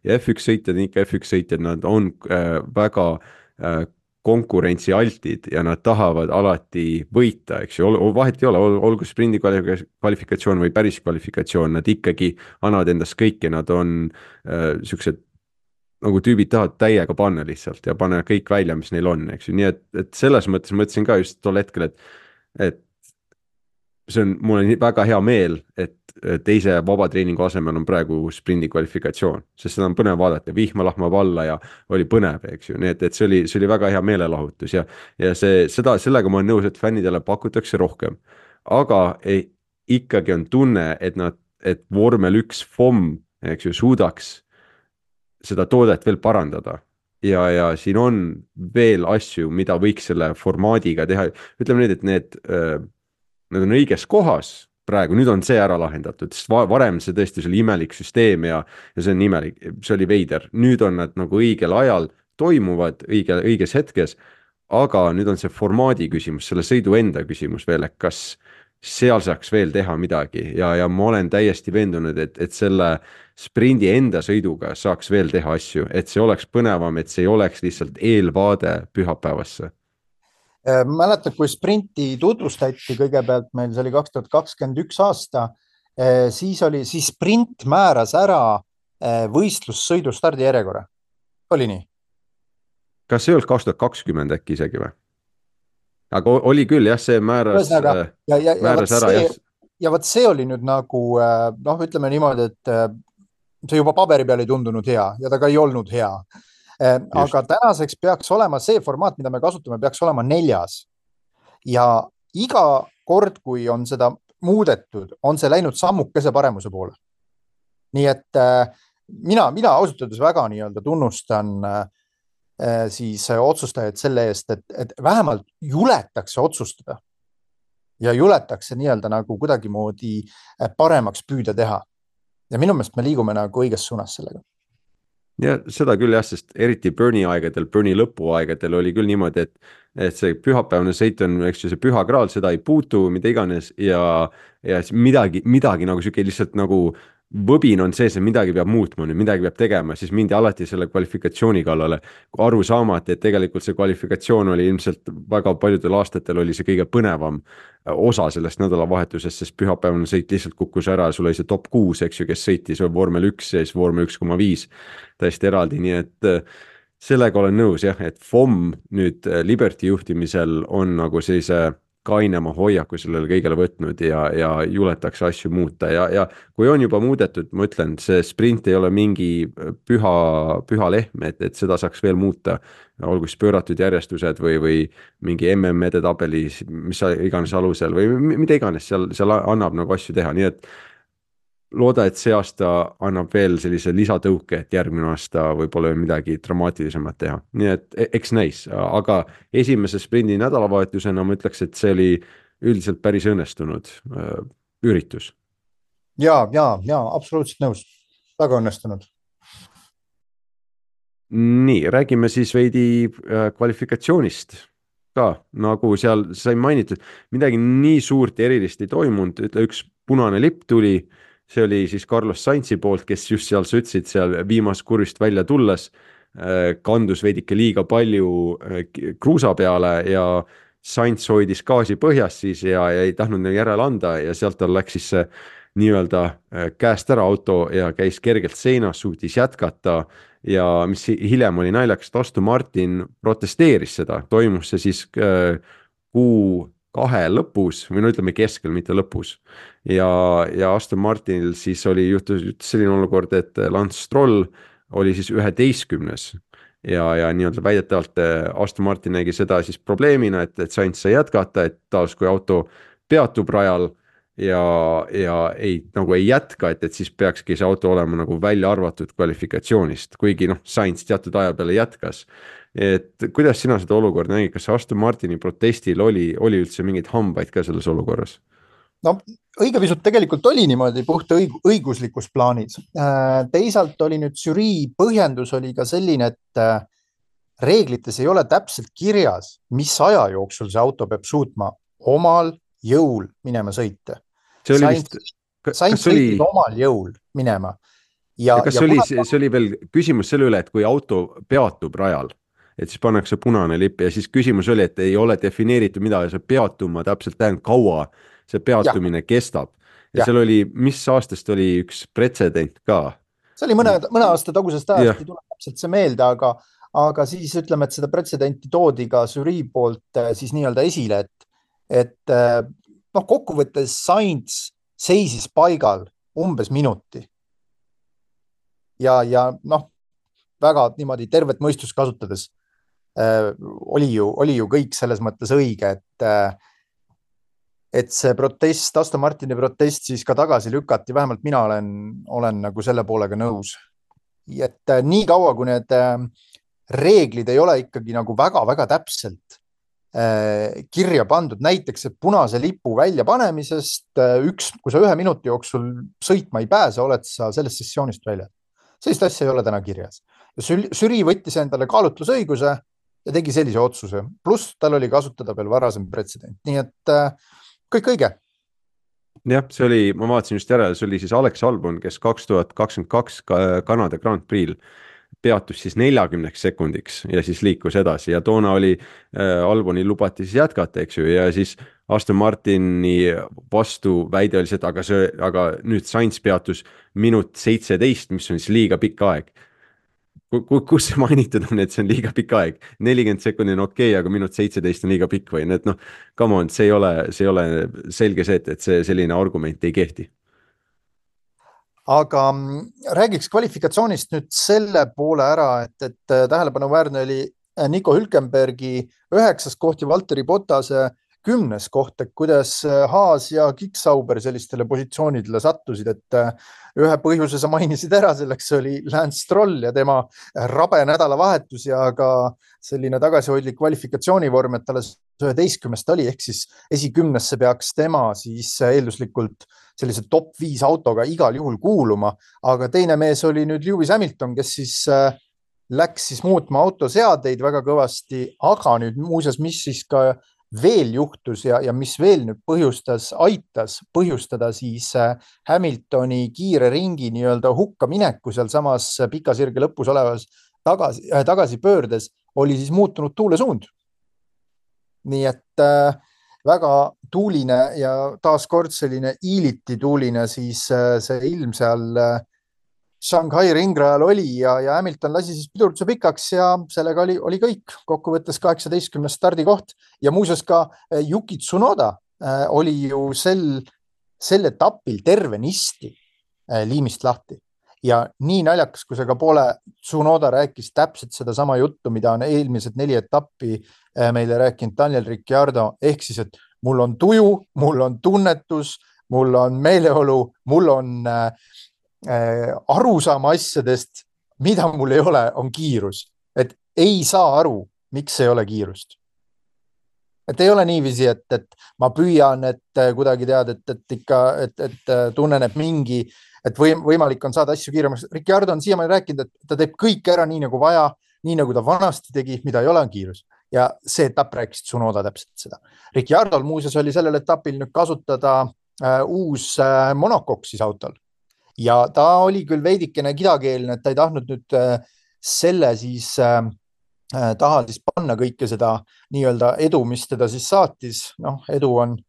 ja F üks sõitjad, ikka F üks sõitjad, nad on äh, väga äh, konkurentsialtid ja nad tahavad alati võita, eks ju, vahet ei ole, olgu sprindi kvalifikatsioon või päris kvalifikatsioon, nad ikkagi annavad endast kõike, nad on äh, siuksed nagu tüübid tahavad täiega panna lihtsalt ja panna kõik välja, mis neil on, eks ju, nii et, et selles mõttes mõtlesin ka just tol hetkel, et, et see on, mul on väga hea meel, et teise vabatreeningu asemel on praegu sprindi kvalifikatsioon, sest seda on põnev vaadata, vihma lahmab alla ja oli põnev, eks ju, nii et, et see oli, see oli väga hea meelelahutus ja, ja see, seda, sellega ma olen nõus, et fännidele pakutakse rohkem, aga ei, ikkagi on tunne, et nad, et vormel üks F O M, eks ju, suudaks seda toodet veel parandada ja, ja siin on veel asju, mida võiks selle formaadiga teha, ütleme nüüd, et need Nad on õiges kohas praegu, nüüd on see ära lahendatud, sest varem see tõesti oli imelik süsteem ja, ja see on imelik, see oli veider. Nüüd on nad nagu õigel ajal toimuvad õige, õiges hetkes, aga nüüd on see formaadi küsimus, selle sõidu enda küsimus veel, et kas seal saaks veel teha midagi ja, ja ma olen täiesti veendunud, et, et selle sprindi enda sõiduga saaks veel teha asju, et see oleks põnevam, et see ei oleks lihtsalt eelvaade pühapäevasse. Mäletad, kui sprinti tutvustati kõigepealt meil, see oli kaks tuhat kakskümmend üks aasta, siis oli, siis sprint määras ära võistlussõidu stardijärjekorra. Oli nii? Kas see ei olnud kaks tuhat kakskümmend äkki isegi või? Aga oli küll, jah, see määras, ja, ja, ja, määras ja ära. See, ja võt see oli nüüd nagu, noh, ütleme niimoodi, et see juba paberi peal ei tundunud hea ja ta ka ei olnud hea. Aga Just. tänaseks peaks olema see formaat, mida me kasutame, peaks olema neljas. Ja iga kord, kui on seda muudetud, on see läinud sammukese paremuse poole. Nii et äh, mina, mina ausalt öeldes väga nii-öelda tunnustan äh, siis otsustajaid selle eest, et, et vähemalt juletakse otsustada ja juletakse nii-öelda nagu kuidagimoodi paremaks püüda teha. Ja minu meelest me liigume nagu õiges suunas sellega. Ja seda küll jah, sest eriti Bernie aegadel, Bernie lõpuaegadel oli küll niimoodi, et, et see pühapäevane sõit on, eks ju, see püha kraal, seda ei puutu, mida iganes ja, ja midagi, midagi nagu siuke lihtsalt nagu võbin on sees, et midagi peab muutma, nüüd midagi peab tegema, siis mindi alati selle kvalifikatsiooni kallale, aru saamata, et tegelikult see kvalifikatsioon oli ilmselt väga paljudel aastatel oli see kõige põnevam osa sellest nädalavahetusest, sest pühapäevane sõit lihtsalt kukkus ära, sul oli see top kuus, eks ju, kes sõitis vormel üks ja siis vormel üks koma viis täiesti eraldi, nii et sellega olen nõus jah, et F O M nüüd Liberty juhtimisel on nagu sellise kainema hoiaku sellele kõigele võtnud ja, ja juletakse asju muuta ja, ja kui on juba muudetud, ma ütlen, see sprint ei ole mingi püha, püha lehm, et, et seda saaks veel muuta, olgu siis pööratud järjestused või, või mingi M M edetabeli, mis iganes alusel või mida iganes seal, seal annab nagu asju teha, nii et looda, et see aasta annab veel sellise lisatõuke, et järgmine aasta võib-olla midagi dramaatilisemat teha. Nii et eks näis, aga esimese sprindi nädalavahetusena ma ütleks, et see oli üldiselt päris õnnestunud äh, üritus. Ja, ja, ja, absoluutselt nõus. Väga õnnestunud. Nii, räägime siis veidi äh, kvalifikatsioonist ka, nagu seal sai mainitud, midagi nii suurt erilist ei toimunud, ütle üks punane lipp tuli, see oli siis Carlos Sainzi poolt, kes just seal sütsid seal viimast kurvist välja tulles, kandus veidike liiga palju kruusa peale ja Sainz hoidis gaasi põhjas siis ja, ja ei tahtnud järele anda ja sealt tal läks siis see nii-öelda käest ära auto ja käis kergelt seinas, suutis jätkata ja mis hiljem oli naljakas, et Aston Martin protesteeris seda, toimus see siis kuu kahe lõpus või no ütleme keskel, mitte lõpus. Ja, ja Aston Martinil siis oli juhtus selline olukord, et Lance Stroll oli siis üheteistkümnes ja, ja nii-öelda väidetavalt Aston Martin nägi seda siis probleemina, et, et Sainz sai jätkata, et taas kui auto peatub rajal ja, ja ei, nagu ei jätka, et, et siis peakski see auto olema nagu välja arvatud kvalifikatsioonist, kuigi noh, Sainz teatud aja peale jätkas. Et kuidas sina seda olukorda nägid, kas Aston Martini protestil oli, oli üldse mingeid hambaid ka selles olukorras? No õige pisut tegelikult oli niimoodi puht õig õiguslikus plaanis. Teisalt oli nüüd žürii põhjendus oli ka selline, et reeglites ei ole täpselt kirjas, mis aja jooksul see auto peab suutma omal jõul minema sõita. See oli Sainz, vist... Sainz sõitis oli... omal jõul minema. Ja, ja kas ja oli, kuna... see oli veel küsimus selle üle, et kui auto peatub rajal, et siis pannakse punane lipp ja siis küsimus oli, et ei ole defineeritud, mida see peatuma täpselt tähendab, kaua see peatumine ja. kestab. Ja, ja seal oli, mis aastast oli üks pretsedent ka? See oli mõne, mõne aasta tagusest ajast, ei tule täpselt see meelde, aga, aga siis ütleme, et seda pretsedenti toodi ka žürii poolt siis nii-öelda esile, et, et noh, kokkuvõttes Sainz seisis paigal umbes minuti. Ja, ja noh, väga niimoodi tervet mõistust kasutades äh, oli, ju, oli ju kõik selles mõttes õige, et, äh, et see protest, Aston Martini protest siis ka tagasi lükati, vähemalt mina olen, olen nagu selle poolega nõus. Et äh, nii kaua, kui need äh, reeglid ei ole ikkagi nagu väga-väga täpselt äh, kirja pandud, näiteks et punase lipu väljapanemisest äh, üks, kui sa ühe minuti jooksul sõitma ei pääse, oled sa sellest sessioonist välja. Sellist asja ei ole täna kirjas. Žürii võttis endale kaalutlusõiguse ja tegi sellise otsuse. Pluss tal oli kasutada veel varasem pretsedent. Nii et äh, kõik õige. Jah, see oli, ma vaatasin just järele, see oli siis Alex Albon, kes kaks tuhat kakskümmend kaks Kanada Grand Prix'l peatus siis neljakümneks sekundiks ja siis liikus edasi ja toona oli äh, Albonil lubati siis jätkata, eks ju, ja siis Aston Martini vastu väide oli see, et aga, see, aga nüüd Sainz peatus minut seitseteist, mis on siis liiga pikk aeg. Kus see mainitud on, et see on liiga pikk aeg? nelikümmend sekundit on okei, okay, aga minut seitseteist on liiga pikk või need, noh, come on, see ei ole, see ei ole selge see, et see selline argument ei kehti. Aga räägiks kvalifikatsioonist nüüd selle poole ära, et, et tähelepanuväärne oli Nico Hülkenbergi üheksas koht ja Valtteri Bottase kümnes koht, et kuidas Haas ja Kicksauber sellistele positsioonidele sattusid, et ühe põhjuse sa mainisid ära, selleks oli Lance Stroll ja tema rabe nädalavahetus ja ka selline tagasihoidlik kvalifikatsioonivorm, et alles üheteistkümnest oli, ehk siis esikümnesse peaks tema siis eelduslikult sellise top viis autoga igal juhul kuuluma, aga teine mees oli nüüd Lewis Hamilton, kes siis läks siis muutma autoseadeid väga kõvasti, aga nüüd muuseas, mis siis ka veel juhtus ja, ja mis veel nüüd põhjustas, aitas põhjustada siis Hamiltoni kiire ringi nii-öelda hukka mineku sealsamas pika sirge lõpus olevas tagasi, tagasi pöördes, oli siis muutunud tuulesuund. Nii et äh, väga tuuline ja taaskord selline iiliti tuuline siis äh, see ilm seal äh, Shanghai ringrajal oli ja, ja Hamilton lasi siis pidurduse pikaks ja sellega oli, oli kõik. Kokkuvõttes kaheksateistkümnes stardikoht ja muuseas ka äh, Yuki Tsunoda äh, oli ju sel, sel etapil tervenisti äh, liimist lahti. Ja nii naljakas, kui see ka pole, Tsunoda rääkis täpselt seda sama juttu, mida on eelmised neli etappi meile rääkinud Daniel Ricciardo, ehk siis, et mul on tuju, mul on tunnetus, mul on meeleolu, mul on äh, arusaama asjadest, mida mul ei ole, on kiirus. Et ei saa aru, miks ei ole kiirust. Et ei ole niiviisi, et, et ma püüan, et kuidagi tead, et, et ikka, et, et tunnen, et mingi et võim, võimalik on saada asju kiiremaks. Ricciardo on siiamaani rääkinud, et ta teeb kõik ära nii nagu vaja, nii nagu ta vanasti tegi, mida ei ole on kiirus. Ja see etapp rääkis Tsunoda täpselt seda. Ricciardol muuseas oli sellel etapil nüüd kasutada äh, uus äh, monocoque siis autol. Ja ta oli küll veidikene kidakeelne, et ta ei tahtnud nüüd äh, selle siis äh, taha siis panna kõike seda nii-öelda edu, mis teda siis saatis. Noh, edu on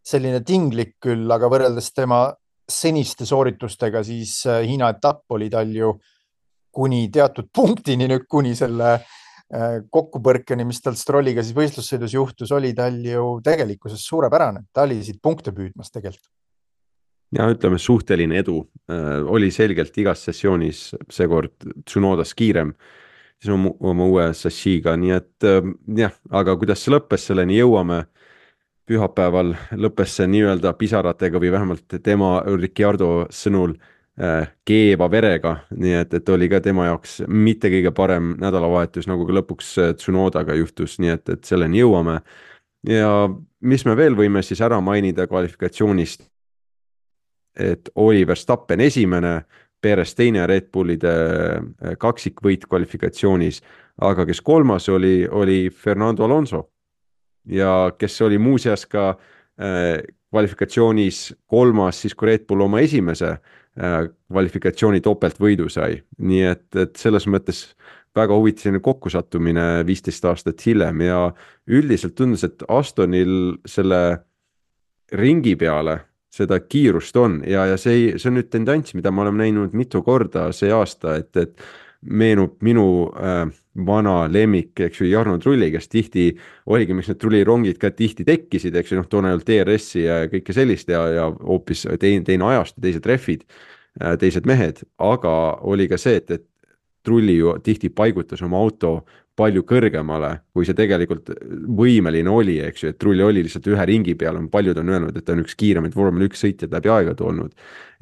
selline tinglik küll, aga võrreldes tema seniste sooritustega, siis Hiina etapp oli tal ju kuni teatud punktini nüüd, kuni selle kokkupõrkeni, mis tal Strolliga siis võistlussõidus juhtus, oli tal ju tegelikkuses suurepärane. Ta oli siit punkte püüdmas tegelikult. Ja ütleme, suhteline edu äh, oli selgelt igas sessioonis seekord Tsunodas kiirem siis oma, oma uue sassiga, nii et äh, jah, aga kuidas see lõppes, selleni jõuame. Pühapäeval lõppes see nii-öelda pisaratega või vähemalt tema Ricciardo sõnul äh, keeva verega, nii et, et oli ka tema jaoks mitte kõige parem nädalavahetus, nagu ka lõpuks Tsunodaga juhtus, nii et, et selleni jõuame. Ja mis me veel võime siis ära mainida kvalifikatsioonist, et oli Verstappen esimene, Perez teine Red Bullide kaksikvõit kvalifikatsioonis, aga kes kolmas oli, oli Fernando Alonso. Ja kes oli muuseas ka äh, kvalifikatsioonis kolmas, siis kui Red Bull oma esimese äh, kvalifikatsiooni topeltvõidu sai. Nii et, et selles mõttes väga huvitav kokkusattumine viisteist aastat hiljem ja üldiselt tundus, et Astonil selle ringi peale seda kiirust on ja, ja see, see on nüüd tendents, mida me oleme näinud mitu korda see aasta, et, et meenub minu äh, vana lemmik, eks ju, Jarno Trulli, kes tihti oligi, miks need trullirongid ka tihti tekkisid, eks ju, noh, toona ei olnud D R S-i ja kõike sellist ja, ja hoopis teine, teine ajast, teised rehvid, teised mehed, aga oli ka see, et, et Trulli ju tihti paigutas oma auto palju kõrgemale, kui see tegelikult võimeline oli, eks ju, et Trulli oli lihtsalt ühe ringi peal, paljud on öelnud, et ta on üks kiiremaid vormel üks sõitjad läbi aegade olnud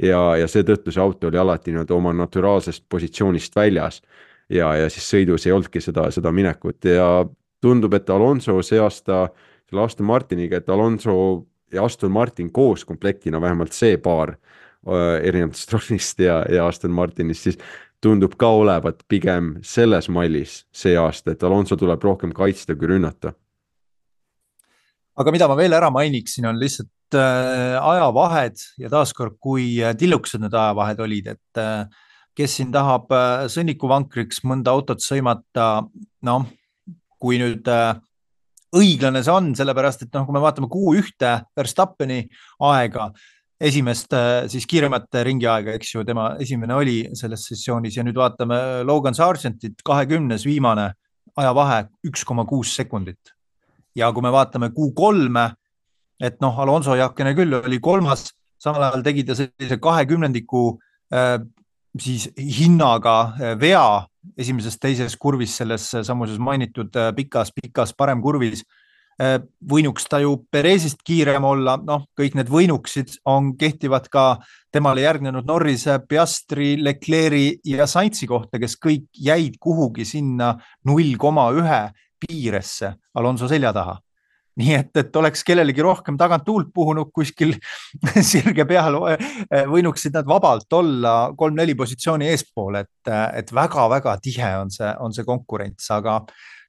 ja, ja seetõttu see auto oli alati nii, oma naturaalsest positsioonist väljas ja, ja siis sõidus ei olnudki seda, seda minekut ja tundub, et Alonso see aasta selle Aston Martiniga, et Alonso ja Aston Martin koos komplektina, vähemalt see paar erinevalt Strollist ja, ja Aston Martinist, siis tundub ka olevat pigem selles mallis see aasta, et Alonso tuleb rohkem kaitsta kui rünnata. Aga mida ma veel ära mainiksin, on lihtsalt äh, ajavahed ja taaskord, kui tilluksed need ajavahed olid, et äh, kes siin tahab äh, sõnnikuvankriks mõnda autot sõimata, noh, kui nüüd äh, õiglane see on, sellepärast, et noh, kui me vaatame kuu ühte Verstappeni aega, esimest siis kiiremate ringi aega, eks ju, tema esimene oli selles sessioonis ja nüüd vaatame Logan Sargentit, kahekümnes viimane ajavahe üks koma kuus sekundit. Ja kui me vaatame kuu kolme, et noh, Alonso jakene küll oli kolmas, samal ajal tegi ta sellise kahekümnendiku äh, siis hinnaga vea esimeses teises kurvis, selles samuses mainitud pikas, pikas parem kurvis, võinuks ta ju Perezist kiirem olla, noh, kõik need võinuksid on kehtivad ka temale järgnenud Norris, Piastri, Leclerc'i ja Sainzi kohta, kes kõik jäid kuhugi sinna null koma üks piiresse Alonso selja taha. Nii et, et oleks kellelegi rohkem tagant tuult puhunud kuskil sirge peal, võinuksid nad vabalt olla kolm-neli positsiooni eespool, et, et väga-väga tihe on see, on see konkurents, aga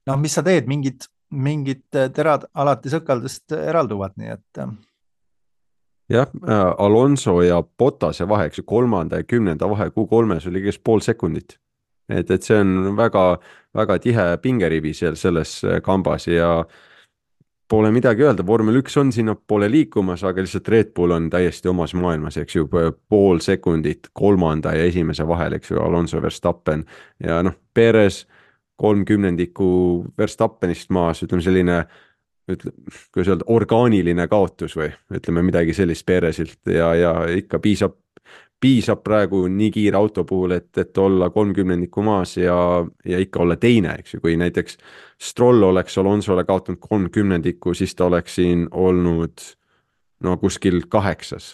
noh, mis sa teed, mingid mingid terad alati sõkaldest eralduvad, nii et. jah, Alonso ja Bottase vahe, eks ju, kolmanda ja kümnenda vahe Q kolmes oli kes pool sekundit. et, et see on väga, väga tihe pingerivi seal selles kambas ja pole midagi öelda, vormel üks on sinna poole liikumas, aga lihtsalt Red Bull on täiesti omas maailmas, eks ju, pool sekundit kolmanda ja esimese vahel, eks ju, Alonso Verstappen ja noh, Perez kolmkümnendikku Verstappenist maas, ütleme selline, ütleme, kuidas öelda, orgaaniline kaotus või ütleme midagi sellist Perezilt ja, ja ikka piisab, piisab praegu nii kiire auto puhul, et, et olla kolmkümnendikku maas ja, ja ikka olla teine, eks ju, kui näiteks Stroll oleks Alonsole kaotanud kolmkümnendikku, siis ta oleks siin olnud no kuskil kaheksas,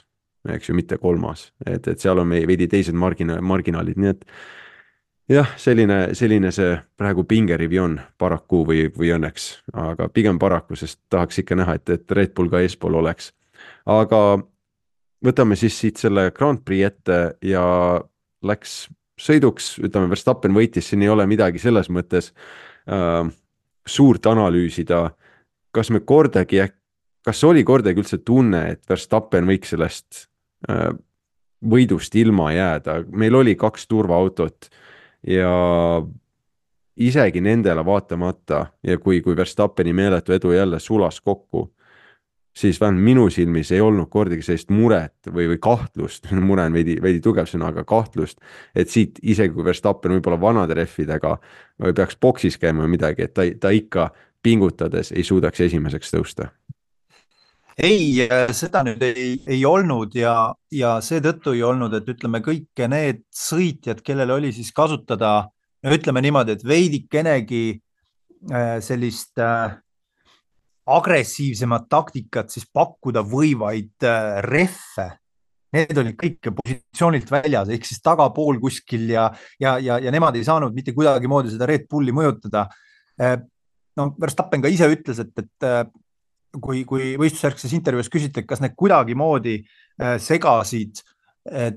eks ju, mitte kolmas, et, et seal on meie veidi teised margina, marginaalid, nii et jah, selline, selline see praegu pingerivi on paraku või, või õnneks, aga pigem paraku, sest tahaks ikka näha, et, et Red Bull ka eespool oleks. Aga võtame siis siit selle Grand Prix ette ja läks sõiduks, ütleme, Verstappen võitis, siin ei ole midagi selles mõttes äh, suurt analüüsida. Kas me kordagi, kas oli kordagi üldse tunne, et Verstappen võiks sellest äh, võidust ilma jääda? Meil oli kaks turvaautot ja isegi nendele vaatamata ja kui, kui Verstappeni meeletu edu jälle sulas kokku, siis vähemalt minu silmis ei olnud kordagi sellist muret või, või kahtlust, mure on veidi, veidi tugev sõna, aga kahtlust, et siit isegi kui Verstappen võib-olla vanade rehvidega või peaks boksis käima või midagi, et ta, ta ikka pingutades ei suudaks esimeseks tõusta. Ei, seda nüüd ei, ei olnud ja, ja seetõttu ei olnud, et ütleme kõik need sõitjad, kellel oli siis kasutada, no ütleme niimoodi, et veidikenegi sellist agressiivsemat taktikat siis pakkuda võivaid rehve. Need olid kõik positsioonilt väljas, ehk siis tagapool kuskil ja, ja, ja, ja nemad ei saanud mitte kuidagi moodi seda Red Bulli mõjutada. No, Verstappen ka ise ütles, et, et kui, kui võistlusjärgses intervjuus küsiti, kas need kuidagi moodi segasid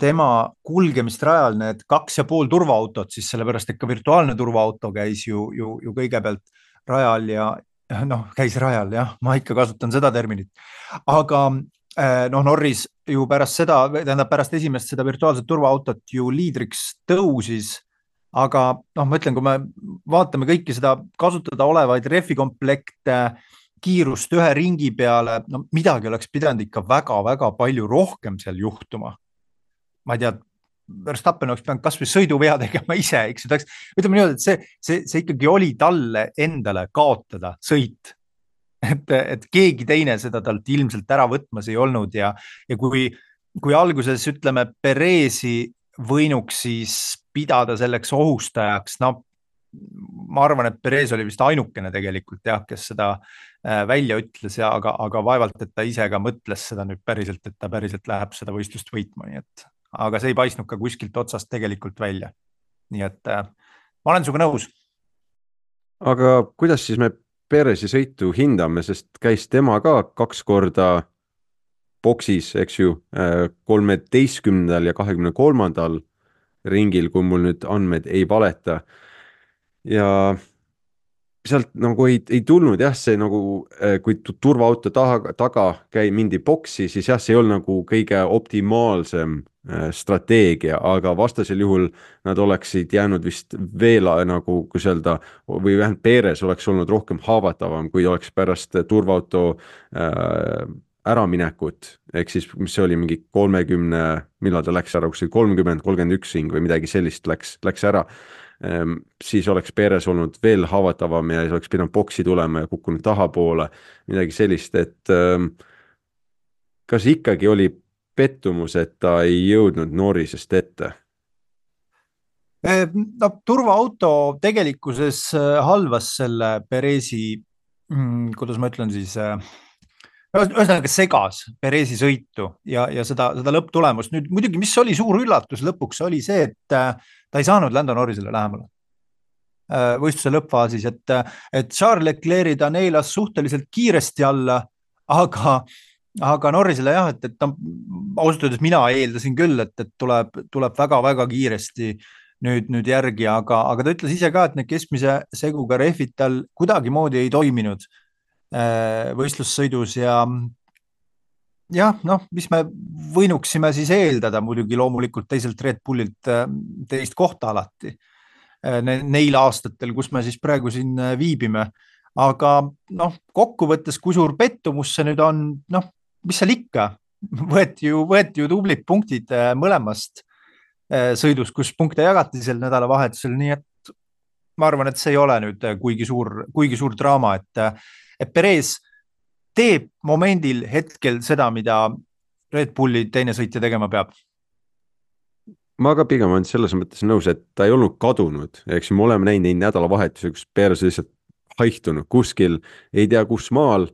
tema kulgemist rajal, need kaks ja pool turvaautot, siis sellepärast, et ka virtuaalne turvaauto käis ju, ju, ju kõigepealt rajal ja noh, käis rajal, jah, ma ikka kasutan seda terminit, aga noh, Norris ju pärast seda, tähendab pärast esimest seda virtuaalset turvaautot ju liidriks tõusis, aga noh, ma ütlen, kui me vaatame kõiki seda kasutada olevaid refikomplekte, kiirust ühe ringi peale, no midagi oleks pidanud ikka väga-väga palju rohkem seal juhtuma. Ma ei tea, Verstappen oleks pidanud kas või sõiduvea tegema ise, eks ju, ütleme niimoodi, et see, see, see ikkagi oli talle endale kaotada sõit, et, et keegi teine seda talt ilmselt ära võtmas ei olnud ja, ja kui, kui alguses ütleme Perezi võinuks siis pidada selleks ohustajaks, no ma arvan, et Perez oli vist ainukene tegelikult jah, kes seda välja ütles ja aga, aga vaevalt, et ta ise ka mõtles seda nüüd päriselt, et ta päriselt läheb seda võistlust võitma, nii et aga see ei paistnud ka kuskilt otsast tegelikult välja. Nii et äh, ma olen suga nõus. Aga kuidas siis me Perezi sõitu hindame, sest käis tema ka kaks korda boksis, eks ju, kolmeteistkümnendal ja kahekümne kolmandal ringil, kui mul nüüd andmed ei valeta. Ja sealt nagu ei, ei tulnud jah, see nagu, kui turvaauto taga, taga käi mindi boksi, siis jah, see ei olnud nagu kõige optimaalsem strateegia, aga vastasel juhul nad oleksid jäänud vist veel nagu, kus öelda, või vähemalt Perez oleks olnud rohkem haavatavam, kui oleks pärast turvaauto äh, äraminekut, ehk siis mis see oli mingi kolmekümne, millal ta läks ära, kus oli kolmkümmend, kolmkümmend üks ring või midagi sellist läks, läks ära. Siis oleks Perez olnud veel haavatavam ja siis oleks pidanud boksi tulema ja kukkunud tahapoole, midagi sellist, et ähm, kas ikkagi oli pettumus, et ta ei jõudnud Norrisest ette? No, turvaauto tegelikkuses halvas selle Perezi, kuidas ma ütlen siis, ühesõnaga segas Perezi sõitu ja, ja seda, seda lõpptulemust. Nüüd muidugi, mis oli suur üllatus lõpuks, oli see, et ta ei saanud Lando Norrisele lähemale võistluse lõppfaasis, et, et Charles Leclerc ta neilas suhteliselt kiiresti alla, aga, aga Norrisele jah, et, et ta ausalt öeldes mina eeldasin küll, et, et tuleb, tuleb väga-väga kiiresti nüüd, nüüd järgi, aga, aga ta ütles ise ka, et need keskmise seguga rehvid tal kuidagimoodi ei toiminud võistlussõidus ja jah, noh, mis me võinuksime siis eeldada muidugi loomulikult teiselt Red Bullilt teist kohta alati neil aastatel, kus me siis praegu siin viibime. Aga noh, kokkuvõttes, kui suur pettumus see nüüd on, noh, mis seal ikka, võeti ju, võeti ju tublid punktid mõlemast sõidus, kus punkte jagati sel nädalavahetusel, nii et ma arvan, et see ei ole nüüd kuigi suur, kuigi suur draama, et, et Perez teeb momendil hetkel seda, mida Red Bulli teine sõitja tegema peab. Ma ka pigem olen selles mõttes nõus, et ta ei olnud kadunud, eks me oleme näinud neid nädalavahetusi, kus Perez lihtsalt haihtunud kuskil, ei tea kus maal,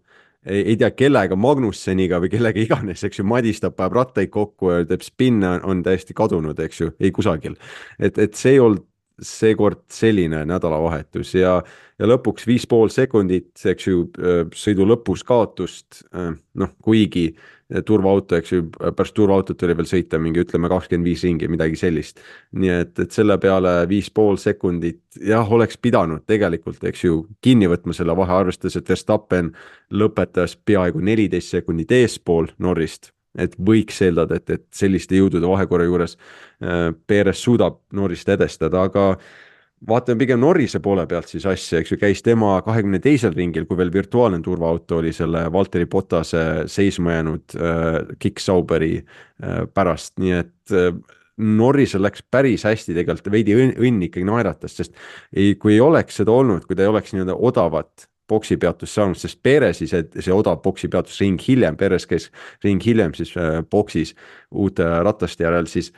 ei, ei tea kellega, Magnusseniga või kellega iganes, eks ju, madistab, päev rattaid kokku ja teeb spinne, on täiesti kadunud, eks ju, ei kusagil. Et, et see ei olnud seekord selline nädalavahetus ja, ja lõpuks viis pool sekundit, eks ju, sõidu lõpus kaotust, noh, kuigi turvaauto, eks ju, pärast turvaautot oli veel sõita mingi, ütleme kakskümmend viis ringi, midagi sellist. Nii et, et selle peale viis pool sekundit, jah, oleks pidanud tegelikult, eks ju, kinni võtma selle vahe, arvestades, et Verstappen lõpetas peaaegu neliteist sekundit eespool Norrist, et võiks eeldada, et, et selliste jõudude vahekorra juures äh, Perez suudab Norrist edestada, aga vaatame pigem Norrise poole pealt siis asja, eks ju, käis tema kahekümne teisel ringil, kui veel virtuaalne turvaauto oli selle Valtteri Bottase seisma jäänud äh, Kick Sauberi äh, pärast, nii et äh, Norrisel läks päris hästi tegelikult, veidi õnn, õnn ikkagi naeratas, sest ei, kui ei oleks seda olnud, kui ta ei oleks nii-öelda odavat boksipeatus saanud, sest Perezi see, see odav boksipeatus ring hiljem, Perez käis ring hiljem siis äh, boksis uute rataste järel, siis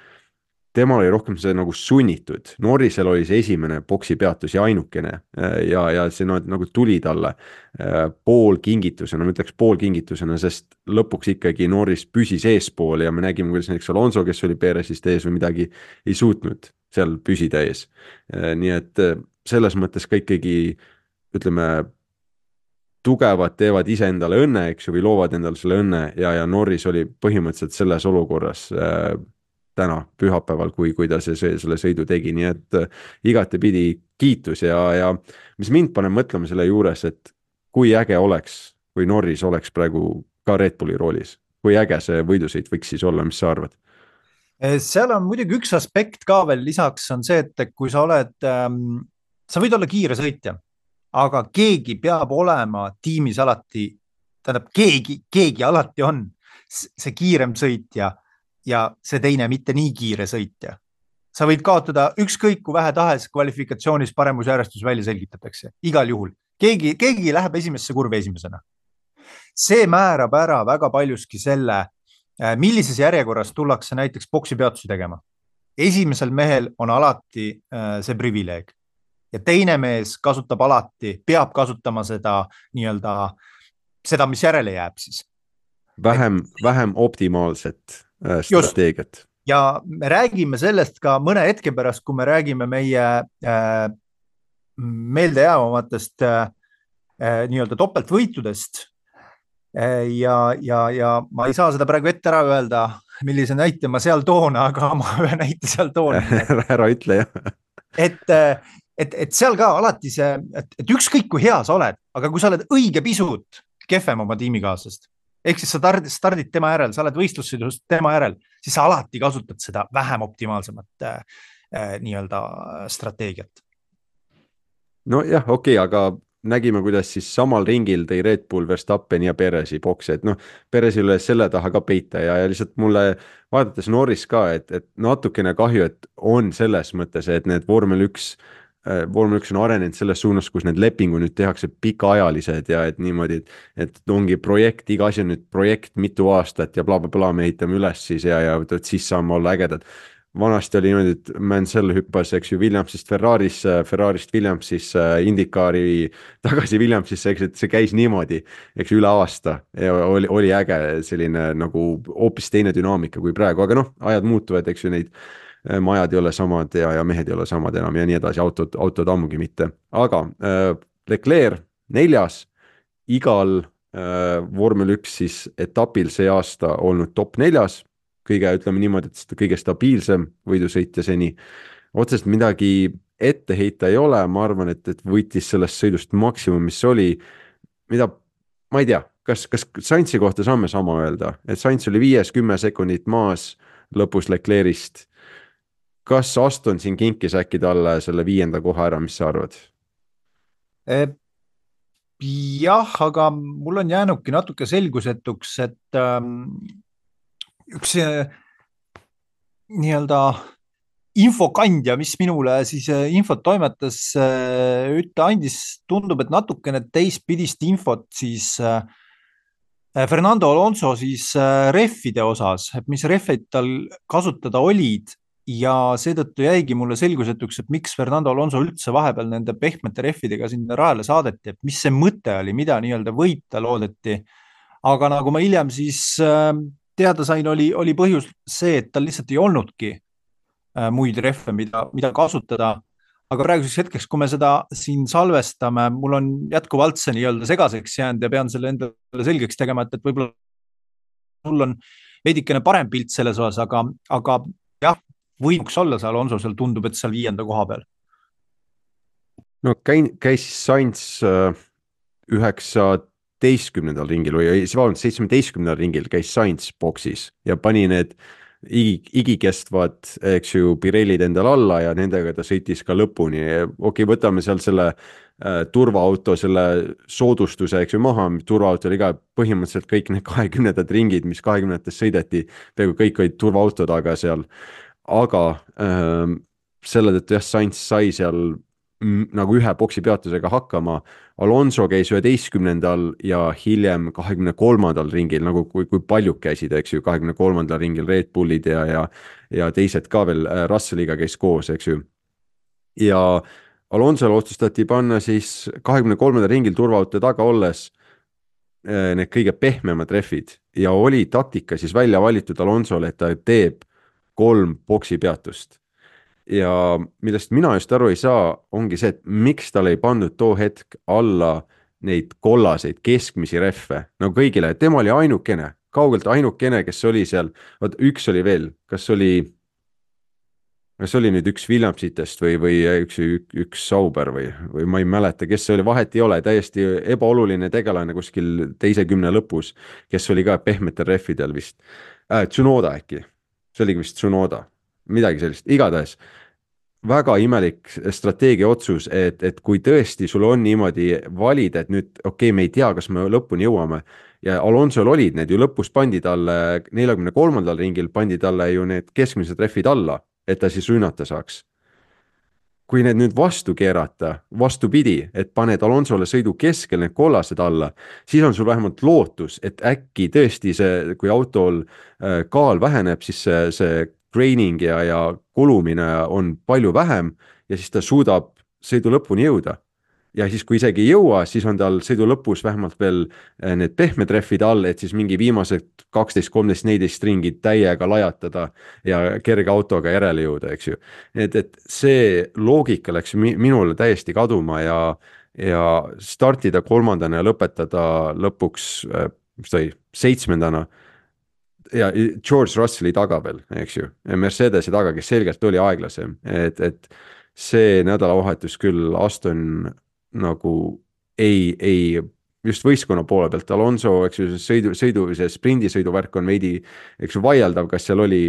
temal oli rohkem see nagu sunnitud. Norrisel oli see esimene boksipeatus ja ainukene äh, ja, ja see no, nagu tuli talle äh, pool kingitusena, ma ütleks pool kingitusena, sest lõpuks ikkagi Norris püsis eespool ja me nägime, kuidas näiteks Alonso, kes oli Perezist ees või midagi, ei suutnud seal püsida ees. Äh, nii et äh, selles mõttes ka ikkagi ütleme, tugevad teevad ise endale õnne, eks ju, või loovad endale selle õnne ja, ja Norris oli põhimõtteliselt selles olukorras äh, täna pühapäeval, kui, kui ta see, see, selle sõidu tegi, nii et äh, igatepidi kiitus ja, ja mis mind paneb mõtlema selle juures, et kui äge oleks, kui Norris oleks praegu ka Red Bulli roolis, kui äge see võidusõit võiks siis olla, mis sa arvad? Seal on muidugi üks aspekt ka veel lisaks on see, et kui sa oled, ähm, sa võid olla kiire sõitja, aga keegi peab olema tiimis alati, tähendab keegi, keegi alati on see kiirem sõitja ja see teine mitte nii kiire sõitja. Sa võid kaotada ükskõik kui vähe tahes kvalifikatsioonis paremusjärjestus välja selgitatakse, igal juhul. Keegi, keegi läheb esimesse kurvi esimesena. See määrab ära väga paljuski selle, millises järjekorras tullakse näiteks boksipeatusi tegema. Esimesel mehel on alati see privileeg. Ja teine mees kasutab alati, peab kasutama seda nii-öelda, seda, mis järele jääb siis. Vähem, et, vähem optimaalset äh, strateegiat. Just. Ja me räägime sellest ka mõne hetke pärast, kui me räägime meie äh, meeldejäävamatest äh, nii-öelda topeltvõitudest äh, ja, ja, ja ma ei saa seda praegu ette ära öelda, millise näite ma seal toon, aga ma ühe näite seal toon. Ära ütle, jah. Et Et, et seal ka alati see, et, et ükskõik kui hea sa oled, aga kui sa oled õige pisut kehvem oma tiimikaaslast, ehk siis sa stardid, stardid tema järel, sa oled võistlussõidust tema järel, siis sa alati kasutad seda vähem optimaalsemat äh, nii-öelda strateegiat. No jah, okei, okay, aga nägime, kuidas siis samal ringil tõi Red Bull, Verstappen ja Perezi boksi, et noh, Perezil üle selle taha ka peita ja, ja lihtsalt mulle vaadates Norris ka, et, et natukene kahju, et on selles mõttes, et need vormel üks vormel üks on arenenud selles suunas, kus need lepingu nüüd tehakse pikaajalised ja et niimoodi, et, et ongi projekt, iga asi on nüüd projekt mitu aastat ja blablabla bla, me ehitame üles siis ja, ja et siis saame olla ägedad. Vanasti oli niimoodi, et Mansell hüppas, eks ju, Williamsist Ferraris, Ferrarist Williamsis, Indikaari tagasi Williamsisse, eks, et see käis niimoodi, eks üle aasta ja oli, oli äge selline nagu hoopis teine dünaamika kui praegu, aga noh, ajad muutuvad, eks ju, neid majad ei ole samad ja, ja mehed ei ole samad enam ja nii edasi, autod, autod ammugi mitte. Aga äh, Leclerc neljas, igal äh, vormel üks siis etapil see aasta olnud top neljas, kõige, ütleme niimoodi, et kõige stabiilsem võidusõitja seni. otseselt midagi ette heita ei ole, ma arvan, et, et võitis sellest sõidust maksimum, mis oli, mida, ma ei tea, kas, kas Sainzi kohta saame sama öelda, et Sainz oli viies kümme sekundit maas lõpus Leclerc'ist. Kas Aston siin kinkis äkki talle selle viienda koha ära, mis sa arvad? Jah, aga mul on jäänudki natuke selgusetuks, et ähm, üks nii-öelda infokandja, mis minule siis infot toimetas, ütle andis, tundub, et natukene teistpidist infot siis Fernando Alonso siis rehvide osas, et mis rehvid tal kasutada olid ja seetõttu jäigi mulle selgusetuks, et miks Fernando Alonso üldse vahepeal nende pehmete rehvidega sinna rajale saadeti, et mis see mõte oli, mida nii-öelda võita loodeti. Aga nagu ma hiljem siis teada sain, oli, oli põhjus see, et tal lihtsalt ei olnudki muid rehve, mida, mida kasutada. Aga praeguseks hetkeks, kui me seda siin salvestame, mul on jätkuvalt see nii-öelda segaseks jäänud ja pean selle endale selgeks tegema, et, et võib-olla mul on veidikene parem pilt selles osas, aga, aga jah, võinuks olla seal Alonso, seal tundub, et seal viienda koha peal. No käin, käis Sainz üheksateistkümnendal ringil või vabandust, seitsmeteistkümnendal ringil käis Sainz boksis ja pani need igikestvad, eks ju, Pirellid endal alla ja nendega ta sõitis ka lõpuni. Okei, võtame seal selle äh, turvaauto, selle soodustuse, eks ju, maha, turvaauto oli ka põhimõtteliselt kõik need kahekümnendad ringid, mis kahekümnendates sõideti, peaaegu kõik olid turvaauto taga seal, aga äh, selle tõttu jah, Sainz sai seal m, nagu ühe boksi peatusega hakkama. Alonso käis üheteistkümnendal ja hiljem kahekümne kolmandal ringil, nagu kui, kui paljud käisid, eks ju, kahekümne kolmandal ringil Red Bullid ja, ja, ja teised ka veel Russelliga käis koos, eks ju. Ja Alonsole otsustati panna siis kahekümne kolmandal ringil turvaauto taga olles need kõige pehmemad rehvid ja oli taktika siis välja valitud Alonsole, et ta teeb kolm boksi peatust. Ja millest mina just aru ei saa, ongi see, et miks tal ei pandud too hetk alla neid kollaseid keskmisi rehve, no kõigile, tema oli ainukene, kaugelt ainukene, kes oli seal, vaat üks oli veel, kas oli, kas oli nüüd üks Williamsitest või, või üks, üks Sauber või, või ma ei mäleta, kes see oli, vahet ei ole, täiesti ebaoluline tegelane kuskil teise kümne lõpus, kes oli ka pehmetel rehvidel vist, äh, Tsunoda äkki, see oligi vist Tsunoda, midagi sellist, igatahes väga imelik strateegia otsus, et, et kui tõesti sul on niimoodi valida, et nüüd okei, okay, me ei tea, kas me lõpuni jõuame ja Alonsol olid need ju lõpus pandi talle neljakümne kolmandal ringil pandi talle ju need keskmised rehvid alla, et ta siis rünnata saaks. Kui need nüüd vastu keerata, vastupidi, et paned Alonsole sõidu keskel need kollased alla, siis on sul vähemalt lootus, et äkki tõesti see, kui autol kaal väheneb, siis see, see training ja, ja kulumine on palju vähem ja siis ta suudab sõidu lõpuni jõuda. Ja siis kui isegi ei jõua, siis on tal sõidu lõpus vähemalt veel need pehmed rehvid all, et siis mingi viimased kaksteist, kolmteist, neliteist ringid täiega lajatada ja kerge autoga järele jõuda, eks ju. Et, et see loogika läks minule täiesti kaduma ja, ja startida kolmandana ja lõpetada lõpuks, mis ta oli, seitsmendana ja George Russelli taga veel, eks ju, Mercedesi taga, kes selgelt oli aeglasem, et, et see nädalavahetus küll Aston nagu ei, ei just võistkonna poole pealt, Alonso, eks ju, sõidu, sõidu, see sprindisõiduvärk on veidi, eks ju, vaieldav, kas seal oli,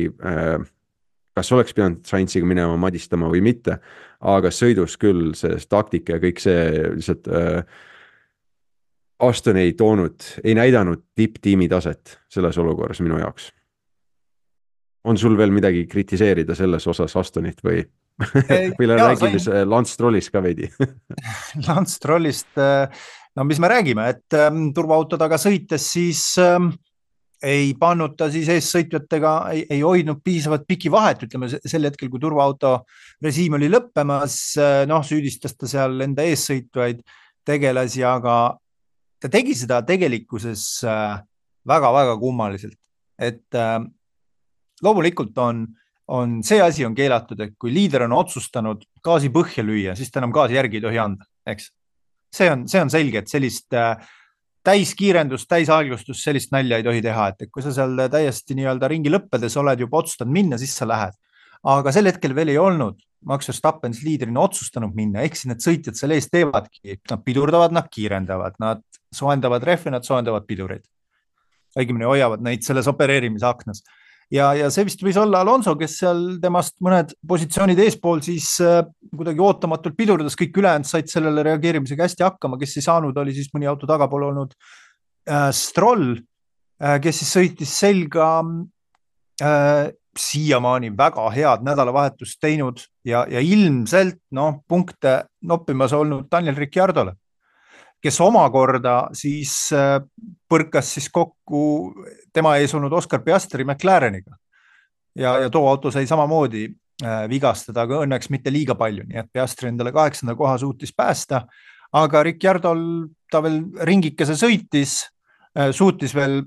kas oleks pidanud Sainziga minema madistama või mitte, aga sõidus küll see taktika ja kõik see lihtsalt Aston ei toonud, ei näidanud tipptiimi taset selles olukorras minu jaoks. On sul veel midagi kritiseerida selles osas Astonit või, või räägime sain... Lance Strollist ka veidi? Lance Strollist, no mis me räägime, et ähm, turvaauto taga sõites siis ähm, ei pannud ta siis eessõitjatega, ei, ei hoidnud piisavalt piki vahet, ütleme sel hetkel, kui turvaauto režiim oli lõppemas, noh, süüdistas ta seal enda eessõitvaid tegelasi, aga ta tegi seda tegelikkuses väga-väga kummaliselt, et äh, loomulikult on, on see asi on keelatud, et kui liider on otsustanud gaasi põhja lüüa, siis ta enam gaasi järgi ei tohi anda, eks. See on, see on selge, et sellist äh, täiskiirendust, täisaeglustust, sellist nalja ei tohi teha, et kui sa seal täiesti nii-öelda ringi lõppedes oled juba otsustanud minna, siis sa lähed. aga sel hetkel veel ei olnud Max Verstappen liidrina otsustanud minna, ehk siis need sõitjad selle eest teevadki, nad pidurdavad, nad kiirendavad, nad soendavad rehve, nad soendavad pidureid. õigemini hoiavad neid selles opereerimise aknas. Ja, ja see vist võis olla Alonso, kes seal temast mõned positsioonid eespool siis äh, kuidagi ootamatult pidurdas, kõik ülejäänud said sellele reageerimisega hästi hakkama, kes ei saanud, oli siis mõni auto tagapool olnud äh, Stroll, äh, kes siis sõitis selga äh, siiamaani väga head nädalavahetust teinud ja, ja ilmselt no, punkte noppimas olnud Daniel Ricciardole, kes omakorda siis põrkas siis kokku tema ees olnud Oscar Piastri McLareniga. Ja, ja too auto sai samamoodi vigastada, aga õnneks mitte liiga palju, nii et Piastri endale kaheksanda koha suutis päästa, aga Ricciardol ta veel ringikese sõitis, suutis veel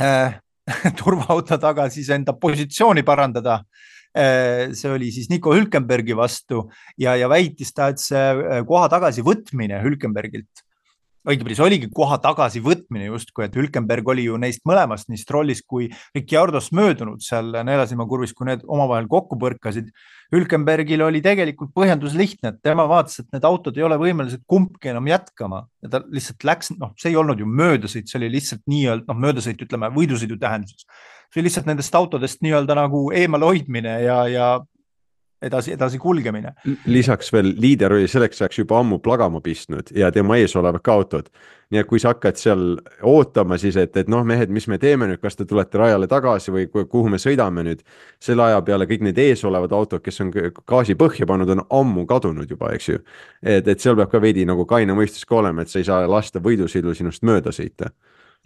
äh, turvaauto taga siis enda positsiooni parandada. See oli siis Nico Hülkenbergi vastu ja, ja väitis ta, et see koha tagasi võtmine Hülkenbergilt, õigemini see oligi koha tagasi võtmine justkui, et Hülkenberg oli ju neist mõlemast, nii Strollis kui Ricciardost möödunud seal Neelasima kurvis, kui need omavahel kokku põrkasid. Hülkenbergil oli tegelikult põhjendus lihtne, et tema vaatas, et need autod ei ole võimelised kumbki enam jätkama ja ta lihtsalt läks, noh, see ei olnud ju möödasõit, see oli lihtsalt nii-öelda, noh, möödasõit, ütleme, võidusõidu tähenduses. See oli lihtsalt nendest autodest nii-öelda nagu eemal hoidmine ja, ja edasi, edasi kulgemine. Lisaks veel liider oli selleks ajaks juba ammu plagama pistnud ja tema ees olevad ka autod. Nii et kui sa hakkad seal ootama siis, et, et noh, mehed, mis me teeme nüüd, kas te tulete rajale tagasi või kuhu me sõidame nüüd, selle aja peale kõik need ees olevad autod, kes on gaasi põhja pannud, on ammu kadunud juba, eks ju. Et, et seal peab ka veidi nagu kaine mõistus ka olema, et sa ei saa lasta võidusõidu sinust mööda sõita.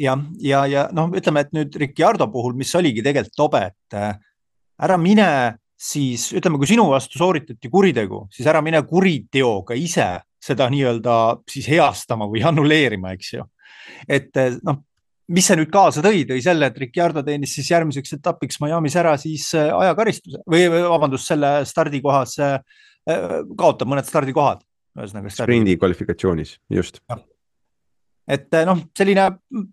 Ja, ja, ja noh, ütleme, et nüüd Ricciardo puhul, mis oligi tegelikult tobe, et ära mine siis ütleme, kui sinu vastu sooritati kuritegu, siis ära mine kuriteoga ise seda nii-öelda siis heastama või annuleerima, eks ju. Et noh, mis see nüüd kaasa tõi, tõi selle, et Ricciardo teenis siis järgmiseks etapiks Miami's ära siis ajakaristuse või vabandust, selle stardikohas kaotab mõned stardikohad. Sprindi kvalifikatsioonis, just. Ja. Et noh, selline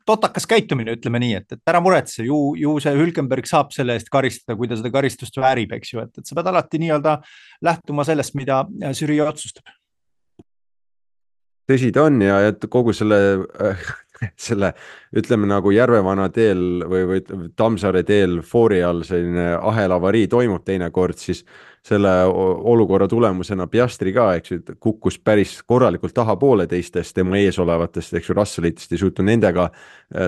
totakas käitumine, ütleme nii, et, et ära muretse, ju, ju see Hülkenberg saab selle eest karistada, kui ta seda karistust väärib, eks ju, et, et sa pead alati nii-öelda lähtuma sellest, mida žürii otsustab. Tõsi ta on ja et kogu selle, selle ütleme nagu Järvevana teel või, või Tammsaare teel foori all selline ahelavarii toimub teinekord, siis selle olukorra tulemusena Piastri ka, eks ju, kukkus päris korralikult tahapoole teistest tema ees olevatest, eks ju, Russellitest ei suutnud nendega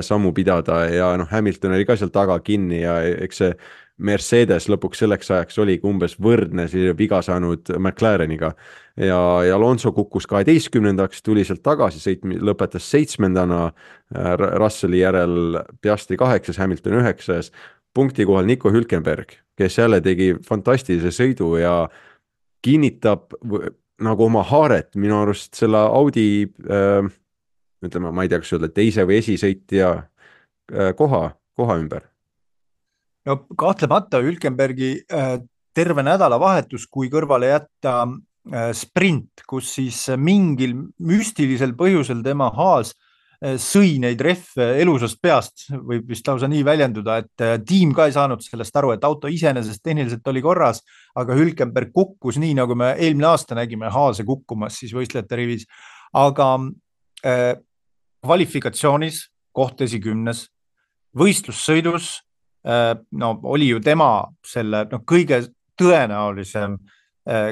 sammu pidada ja noh, Hamilton oli ka seal taga kinni ja eks see Mercedes lõpuks selleks ajaks oligi umbes võrdne viga saanud McLareniga ja, ja Alonso kukkus kaheteistkümnendaks, tuli sealt tagasi, sõit lõpetas seitsmendana, Russelli järel Piastri kaheksas, Hamilton üheksas, punkti kohal Nico Hülkenberg, kes jälle tegi fantastilise sõidu ja kinnitab nagu oma haaret minu arust selle Audi äh, ütleme, ma ei tea, kas öelda teise või esisõitja äh, koha, koha ümber. No kahtlemata Hülkenbergi äh, terve nädalavahetus, kui kõrvale jätta äh, sprint, kus siis mingil müstilisel põhjusel tema haas äh, sõi neid rehve elusast peast, võib vist lausa nii väljenduda, et äh, tiim ka ei saanud sellest aru, et auto iseenesest tehniliselt oli korras, aga Hülkenberg kukkus nii, nagu me eelmine aasta nägime haase kukkumas siis võistlejate rivis, aga äh, kvalifikatsioonis koht esikümnes, võistlussõidus no oli ju tema selle no, kõige tõenäolisem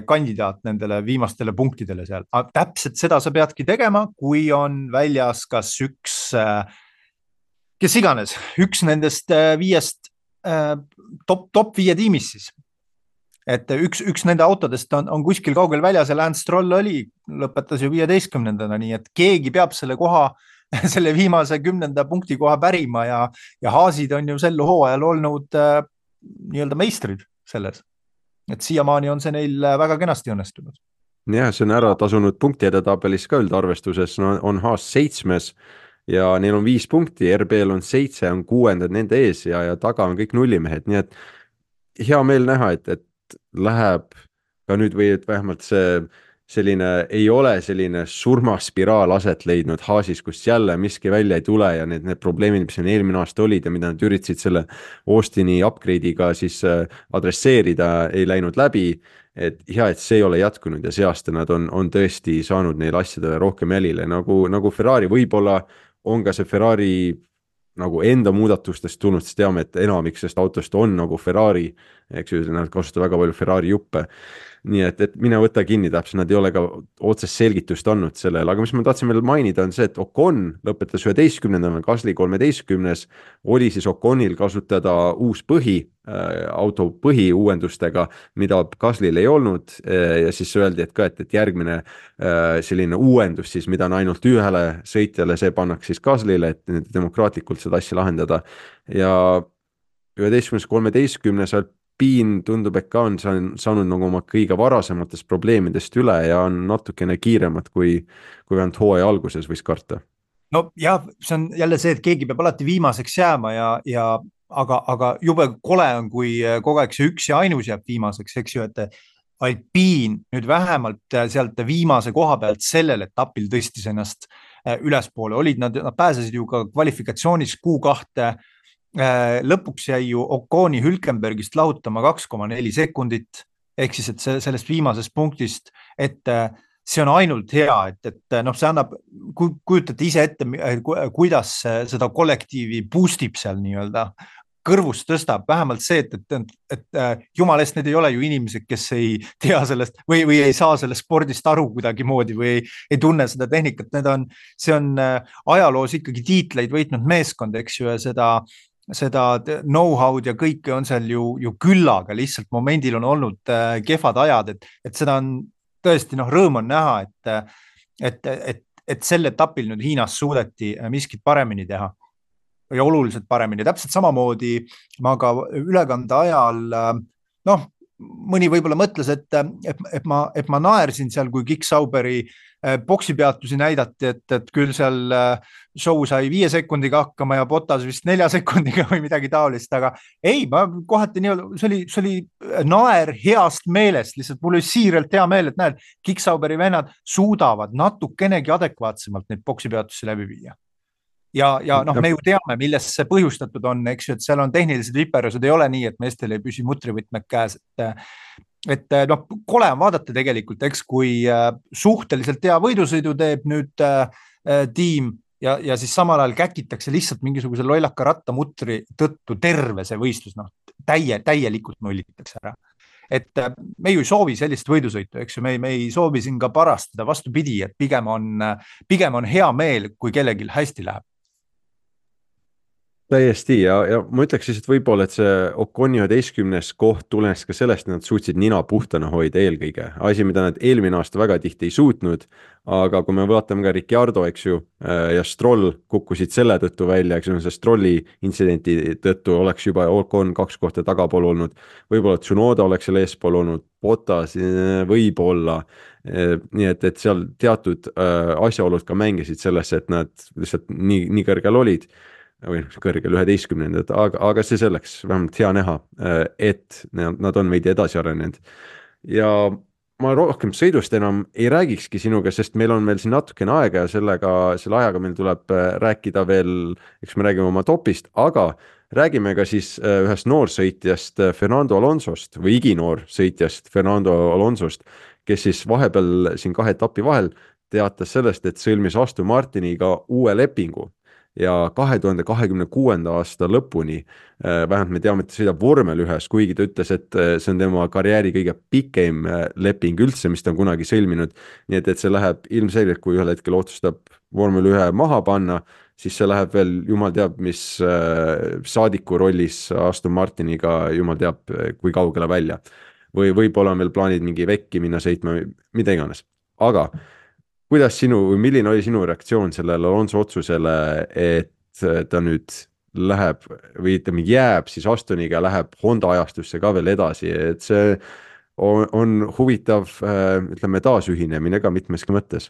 kandidaat nendele viimastele punktidele seal. Aga täpselt seda sa peadki tegema, kui on väljas kas üks, kes iganes, üks nendest viiest top, top viie tiimis siis. Et üks, üks nende autodest on, on kuskil kaugel väljas ja Lance Stroll oli, lõpetas ju viieteistkümnendana, nii et keegi peab selle koha selle viimase kümnenda punkti koha pärima ja, ja haasid on ju sel hooajal olnud äh, nii-öelda meistrid selles. Et siiamaani on see neil väga kenasti õnnestunud. Jah, see on ära tasunud punkti edetabelis ka üldarvestuses, no, on haas seitsmes ja neil on viis punkti, R B-l on seitse, on kuuendad nende ees ja, ja taga on kõik nullimehed, nii et hea meel näha, et, et läheb ka nüüd või et vähemalt see selline, ei ole selline surmaspiraal aset leidnud Haasis, kus jälle miski välja ei tule ja need, need probleemid, mis on eelmine aasta olid ja mida nad üritasid selle Austini upgrade'iga siis adresseerida, ei läinud läbi. Et hea, et see ei ole jätkunud ja see aasta nad on, on tõesti saanud neile asjadele rohkem jälile, nagu, nagu Ferrari, võib-olla on ka see Ferrari nagu enda muudatustest tulnud, siis teame, et enamik sellest autost on nagu Ferrari, eks ju, nad kasutavad väga palju Ferrari juppe. Nii et, et mine võta kinni täpselt, nad ei ole ka otsest selgitust andnud sellele, aga mis ma tahtsin veel mainida on see, et Ocon lõpetas üheteistkümnendal, Gasly kolmeteistkümnes, oli siis Oconil kasutada uus põhi, äh, auto põhi uuendustega, mida Gaslyl ei olnud äh, ja siis öeldi, et ka, et, et järgmine äh, selline uuendus siis, mida on ainult ühele sõitjale, see pannaks siis Gaslyle, et demokraatlikult seda asja lahendada ja üheteistkümnes kolmeteistkümnes Alpine tundub, et ka on saanud nagu oma kõige varasematest probleemidest üle ja on natukene kiiremad kui, kui vähemalt hooaja alguses võis karta. No jah, see on jälle see, et keegi peab alati viimaseks jääma ja, ja aga, aga jube kole on, kui kogu aeg see üks ja ainus jääb viimaseks, eks ju, et Alpine nüüd vähemalt sealt viimase koha pealt sellel etapil tõstis ennast ülespoole, olid nad, nad pääsesid ju ka kvalifikatsioonis kuu kahte, lõpuks jäi ju Oconi Hülkenbergist lahutama kaks koma neli sekundit, ehk siis, et see, sellest viimasest punktist, et see on ainult hea, et, et noh, see annab, kujutate ise ette, kuidas seda kollektiivi boostib seal nii-öelda, kõrvust tõstab, vähemalt see, et, et, et, et jumal eest, need ei ole ju inimesed, kes ei tea sellest või, või ei saa sellest spordist aru kuidagi moodi või ei, ei tunne seda tehnikat, need on, see on ajaloos ikkagi tiitleid võitnud meeskond, eks ju, ja seda seda know-how'd ja kõike on seal ju, ju küllaga, lihtsalt momendil on olnud äh, kehvad ajad, et, et seda on tõesti, noh, rõõm on näha, et, et, et, et sel etapil nüüd Hiinas suudeti miskit paremini teha ja oluliselt paremini. Täpselt samamoodi ma ka ülekande ajal, noh, mõni võib-olla mõtles, et, et, et, ma, et ma naersin seal, kui Kick Sauberi boksipeatusi näidati, et, et küll seal show sai viie sekundiga hakkama ja Bottas vist nelja sekundiga või midagi taolist, aga ei, ma kohati nii, see oli, see oli naer heast meelest, lihtsalt mul oli siiralt hea meel, et näed, Kick Sauberi vennad suudavad natukenegi adekvaatsemalt neid boksipeatusi läbi viia. Ja, ja noh, me ju teame, millest see põhjustatud on, eks ju, et seal on tehnilised viperused, ei ole nii, et meestel ei püsi mutrivõtmed käes, et et noh, kole on vaadata tegelikult, eks kui suhteliselt hea võidusõidu teeb nüüd äh, tiim ja, ja siis samal ajal käkitakse lihtsalt mingisuguse lollaka rattamutri tõttu terve see võistlus, noh, täie, täielikult nullitakse ära. Et me ju ei soovi sellist võidusõitu, eks ju, me, me ei soovi siin ka parastada, vastupidi, et pigem on, pigem on hea meel, kui kellelgi hästi läheb. Täiesti ja, ja ma ütleks siis, et võib-olla, et see Oconi üheteistkümnes koht tulenes ka sellest, et nad suutsid nina puhtana hoida eelkõige. Asi, mida nad eelmine aasta väga tihti ei suutnud, aga kui me vaatame ka Ricciardo, eks ju, ja Stroll kukkusid selle tõttu välja, eks ju, see Strolli intsidenti tõttu oleks juba Ocon kaks kohta tagapool olnud. Võib-olla Tsunoda oleks seal eespool olnud, Bottas võib-olla. Nii et, et seal teatud asjaolud ka mängisid sellesse, et nad lihtsalt nii, nii kõrgel olid või kõrgel üheteistkümnendad, aga, aga see selleks vähemalt hea näha, et nad on veidi edasi arenenud. Ja ma rohkem sõidust enam ei räägikski sinuga, sest meil on meil siin natukene aega ja sellega, selle ajaga meil tuleb rääkida veel, eks me räägime oma topist, aga räägime ka siis ühest noorsõitjast Fernando Alonsost või iginoor sõitjast Fernando Alonsost, kes siis vahepeal siin kahe etapi vahel teatas sellest, et sõlmis Aston Martiniga uue lepingu. Ja kahe tuhande kahekümne kuuenda aasta lõpuni, vähemalt me teame, et ta sõidab vormel ühes, kuigi ta ütles, et see on tema karjääri kõige pikem leping üldse, mis ta on kunagi sõlminud. Nii et, et see läheb ilmselgelt, kui ühel hetkel otsustab vormel ühe maha panna, siis see läheb veel jumal teab, mis saadiku rollis Aston Martiniga jumal teab, kui kaugele välja. Või võib-olla on veel plaanid mingi vekki minna sõitma, mida iganes. Aga kuidas sinu, või milline oli sinu reaktsioon sellele Alonso otsusele, et ta nüüd läheb või ütleme jääb siis Astoniga ja läheb Honda ajastusse ka veel edasi, et see on, on huvitav, ütleme, taasühinemine ka mitmeski mõttes?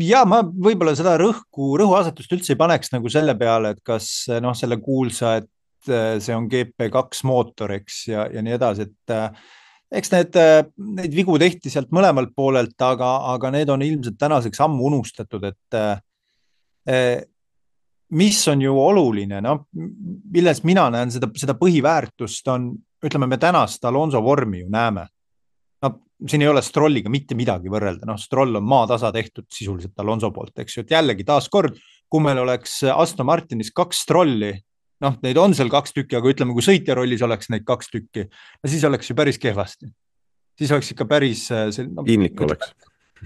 Ja ma võib-olla seda rõhku, rõhuasetust üldse ei paneks nagu selle peale, et kas noh, selle kuulsa, et see on G P kaks mootor, eks, ja, ja nii edasi, et eks need, neid vigu tehti sealt mõlemalt poolelt, aga, aga need on ilmselt tänaseks ammu unustatud, et mis on ju oluline, noh, milles mina näen seda, seda põhiväärtust on, ütleme, me tänast Alonso vormi ju näeme. No, siin ei ole Strolliga mitte midagi võrrelda, noh, Stroll on maatasa tehtud sisuliselt Alonso poolt, eks ju, et jällegi taas kord, kui meil oleks Aston Martinis kaks Strolli, noh, neid on seal kaks tükki, aga ütleme, kui sõitja rollis oleks neid kaks tükki, no siis oleks ju päris kehvasti. Siis oleks ikka päris... No, piinlik oleks.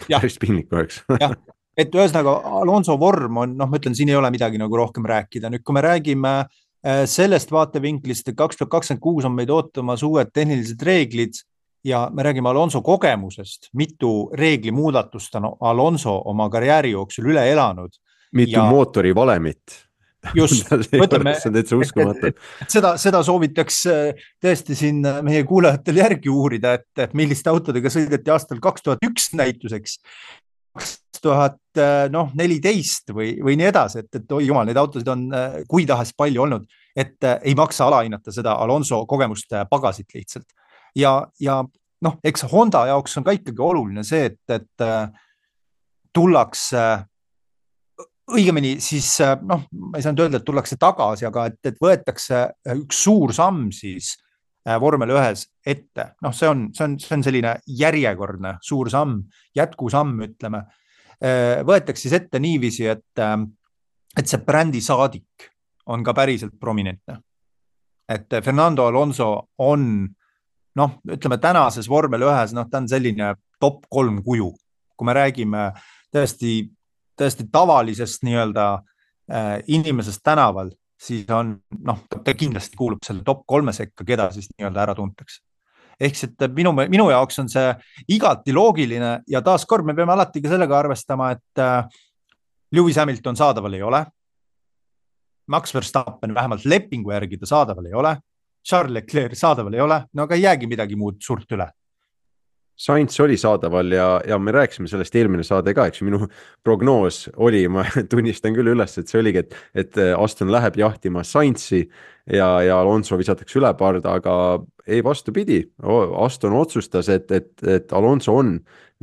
Päris piinlik oleks. jah, et ühesõnaga Alonso vorm on, noh, ma ütlen, siin ei ole midagi nagu rohkem rääkida. Nüüd, kui me räägime sellest vaatevinklist, et kaks tuhat kakskümmend kuus on meid ootamas uued tehnilised reeglid ja me räägime Alonso kogemusest, mitu reegli muudatust on Alonso oma karjääri jooksul üle elanud. Mitu ja... mootori valemit. Just, mõtleme, et, et, et seda, seda soovitaks tõesti siin meie kuulajatel järgi uurida, et, et milliste autodega sõideti aastal kaks tuhat üks näituseks, kaks tuhat neliteist või, või nii edasi, et, et oi jumal, neid autosid on kui tahes palju olnud, et ei maksa alahinnata seda Alonso kogemust pagasit lihtsalt. Ja, ja noh, eks Honda jaoks on ka ikkagi oluline see, et, et tullakse õigemini siis, noh, ma ei saanud öelda, et tullakse tagasi, aga et, et võetakse üks suur samm siis vormel ühes ette. Noh, see on, see on, see on selline järjekordne suur samm, jätkusamm, ütleme. Võetakse siis ette niiviisi, et, et see brändi saadik on ka päriselt prominentne. Et Fernando Alonso on, noh, ütleme tänases vormel ühes, noh, ta on selline top kolm kuju. Kui me räägime tõesti tõesti tavalisest nii-öelda äh, inimesest tänaval, siis on, noh, ta kindlasti kuulub selle top kolme sekka, keda siis nii-öelda ära tuntakse. Ehk et minu, minu jaoks on see igati loogiline ja taas kord me peame alati ka sellega arvestama, et äh, Lewis Hamilton saadaval ei ole, Max Verstappen vähemalt lepingu järgi ta saadaval ei ole, Charles Leclerc saadaval ei ole, no aga ei jäägi midagi muud suurt üle. Sainz oli saadaval ja, ja me rääkisime sellest eelmine saade ka, eks minu prognoos oli, ma tunnistan küll üles, et see oligi, et, et Aston läheb jahtima Sainzi ja, ja Alonso visatakse üle parda, aga ei vastupidi. Aston otsustas, et, et, et Alonso on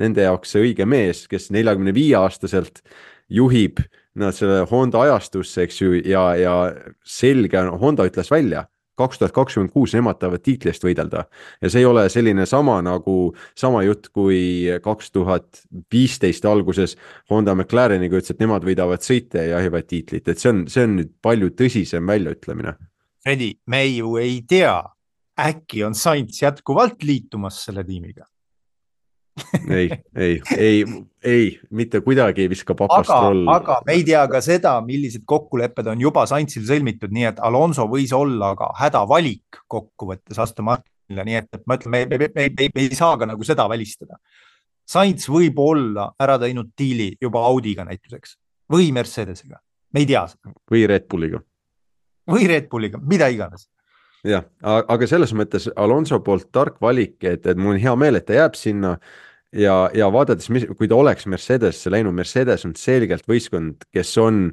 nende jaoks see õige mees, kes neljakümne viie aastaselt juhib nad selle Honda ajastusse, eks ju, ja, ja selge, Honda ütles välja, kaks tuhat kakskümmend kuus nemad tahavad tiitli eest võidelda ja see ei ole selline sama nagu sama jutt kui kaks tuhat viisteist alguses Honda McLareniga ütles, et nemad võidavad sõite ja jahivad tiitlit, et see on, see on nüüd palju tõsisem väljaütlemine. Fredi, me ju ei tea, äkki on Sainz jätkuvalt liitumas selle tiimiga. ei, ei, ei, ei, mitte kuidagi ei viska papastrol. Aga, aga me ei tea ka seda, millised kokkulepped on juba Sainzil sõlmitud, nii et Alonso võis olla ka hädavalik kokkuvõttes Aston Martinile, nii et ma ütlen, me, me, me, me, me ei saa ka nagu seda välistada. Sainz võib olla ära teinud diili juba Audiga näituseks või Mercedesega, me ei tea seda. Või Red Bulliga. Või Red Bulliga, mida iganes. Jah, aga selles mõttes Alonso poolt tark valik, et, et mul on hea meel, et ta jääb sinna ja, ja vaadates, kui ta oleks Mercedesse läinud, Mercedes on selgelt võistkond, kes on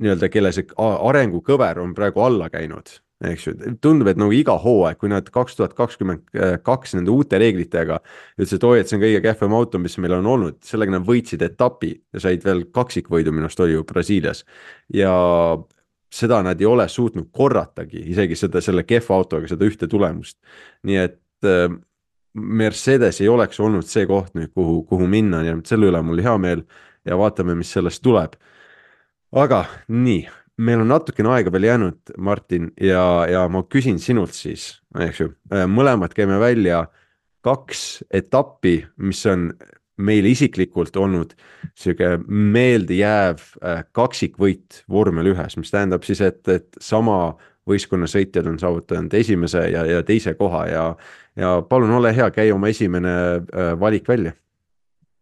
nii-öelda, kelle see arengukõver on praegu alla käinud, eks ju, tundub, et nagu iga hooaeg, kui nad kaks tuhat kakskümmend kaks nende uute reeglitega ütles, et oi, et see on kõige kehvem auto, mis meil on olnud, sellega nad võitsid etapi ja said veel kaksikvõidu minust oli ju Brasiilias ja seda nad ei ole suutnud korratagi, isegi seda, selle kehva autoga, seda ühte tulemust. Nii et äh, Mercedes ei oleks olnud see koht nüüd, kuhu, kuhu minna ja selle üle mul hea meel ja vaatame, mis sellest tuleb. Aga nii, meil on natukene aega veel jäänud, Martin, ja, ja ma küsin sinult siis, eks ju, mõlemad käime välja kaks etappi, mis on meil isiklikult olnud selline meeldejääv kaksikvõit vormel ühes, mis tähendab siis, et, et sama võistkonna sõitjad on saavutanud esimese ja, ja teise koha ja, ja palun ole hea, käi oma esimene valik välja.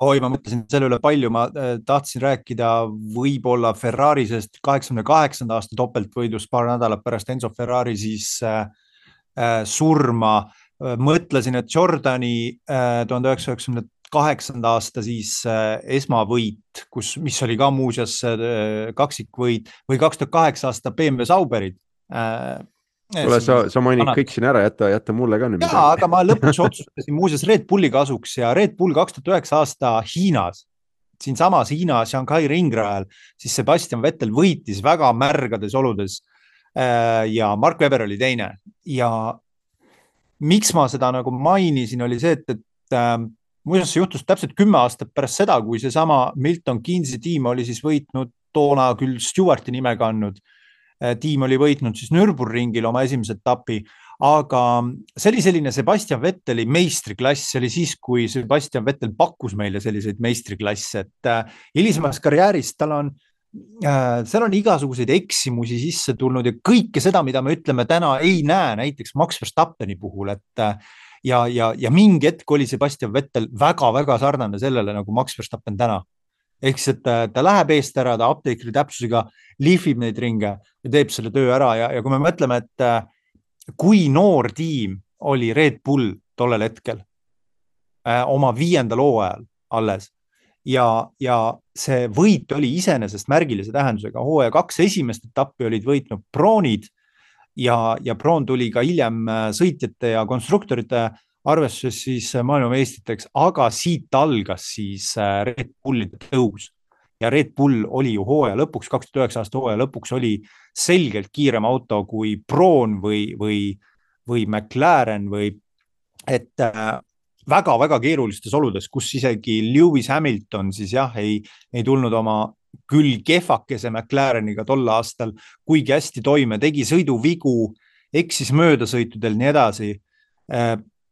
Oi, ma mõtlesin selle üle palju, ma tahtsin rääkida võib-olla Ferrari, sest kaheksakümne kaheksanda aasta topeltvõidus paar nädalat pärast Enzo Ferrari siis äh, surma. Mõtlesin, et Jordani äh, tuhande üheksasaja üheksakümne kaheksanda aasta siis äh, esmavõit, kus, mis oli ka muuseas äh, kaksikvõit või kaks tuhat kaheksa aasta B M W Sauberid. Äh, kuule, sa, sa mainid kõik siin ära, jätta, jätta mulle ka nüüd midagi. Jaa, aga ma lõpuks otsustasin muuseas Red Bulli kasuks ja Red Bull kaks tuhat üheksa aasta Hiinas, siin samas Hiina Shanghai ringrajal, siis Sebastian Vettel võitis väga märgades oludes ja Mark Webber oli teine. Ja miks ma seda nagu mainisin, oli see, et, et äh, muuseas see juhtus täpselt kümme aastat pärast seda, kui see sama Milton Keynesi tiim oli siis võitnud toona küll Stewarti nime kandnud. Tiim oli võitnud siis Nürburgringil oma esimese etapi, aga see oli selline Sebastian Vetteli meistriklass, see oli siis, kui Sebastian Vettel pakkus meile selliseid meistriklasse, et hilisemas karjääris tal on, seal on igasuguseid eksimusi sisse tulnud ja kõike seda, mida me ütleme täna ei näe, näiteks Max Verstappeni puhul, et ja, ja, ja mingi hetk oli Sebastian Vettel väga-väga sarnane sellele nagu Max Verstappen täna. Ehk siis, et ta läheb eest ära, ta apteekri täpsusega lihvib neid ringe ja teeb selle töö ära ja, ja kui me mõtleme, et kui noor tiim oli Red Bull tollel hetkel äh, oma viiendal hooajal alles ja, ja see võit oli iseenesest märgilise tähendusega. hooaja kaks esimest etappi olid võitnud Broonid ja, ja Broon tuli ka hiljem sõitjate ja konstruktorite arvestuses siis maailmameistriteks, aga siit algas siis Red Bullide tõus ja Red Bull oli ju hooaja lõpuks, kaks tuhat üheksa aasta hooaja lõpuks oli selgelt kiirem auto kui Broon või, või, või McLaren või et väga-väga keerulistes oludes, kus isegi Lewis Hamilton siis jah, ei, ei tulnud oma küll kehvakese McLareniga tol aastal kuigi hästi toime, tegi sõiduvigu, eksis möödasõitudel nii edasi.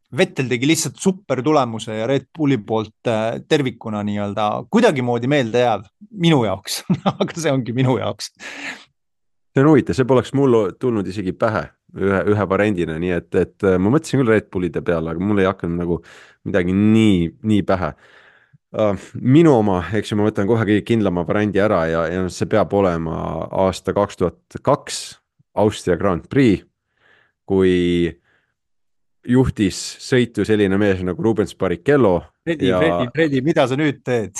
Vettel tegi lihtsalt super tulemuse ja Red Bulli poolt tervikuna nii-öelda kuidagi moodi meelde jääv minu jaoks, aga see ongi minu jaoks. See on huvitav, see poleks mul tulnud isegi pähe ühe, ühe variandina, nii et, et ma mõtlesin küll Red Bullide peale, aga mul ei hakanud nagu midagi nii, nii pähe. Minu oma, eks ju, ma võtan kohe kõige kindlama variandi ära ja, ja see peab olema aasta kaks tuhat kaks Austria Grand Prix, kui juhtis sõitu selline mees nagu Rubens Barrichello. Fredi, ja, Fredi, Fredi, mida sa nüüd teed?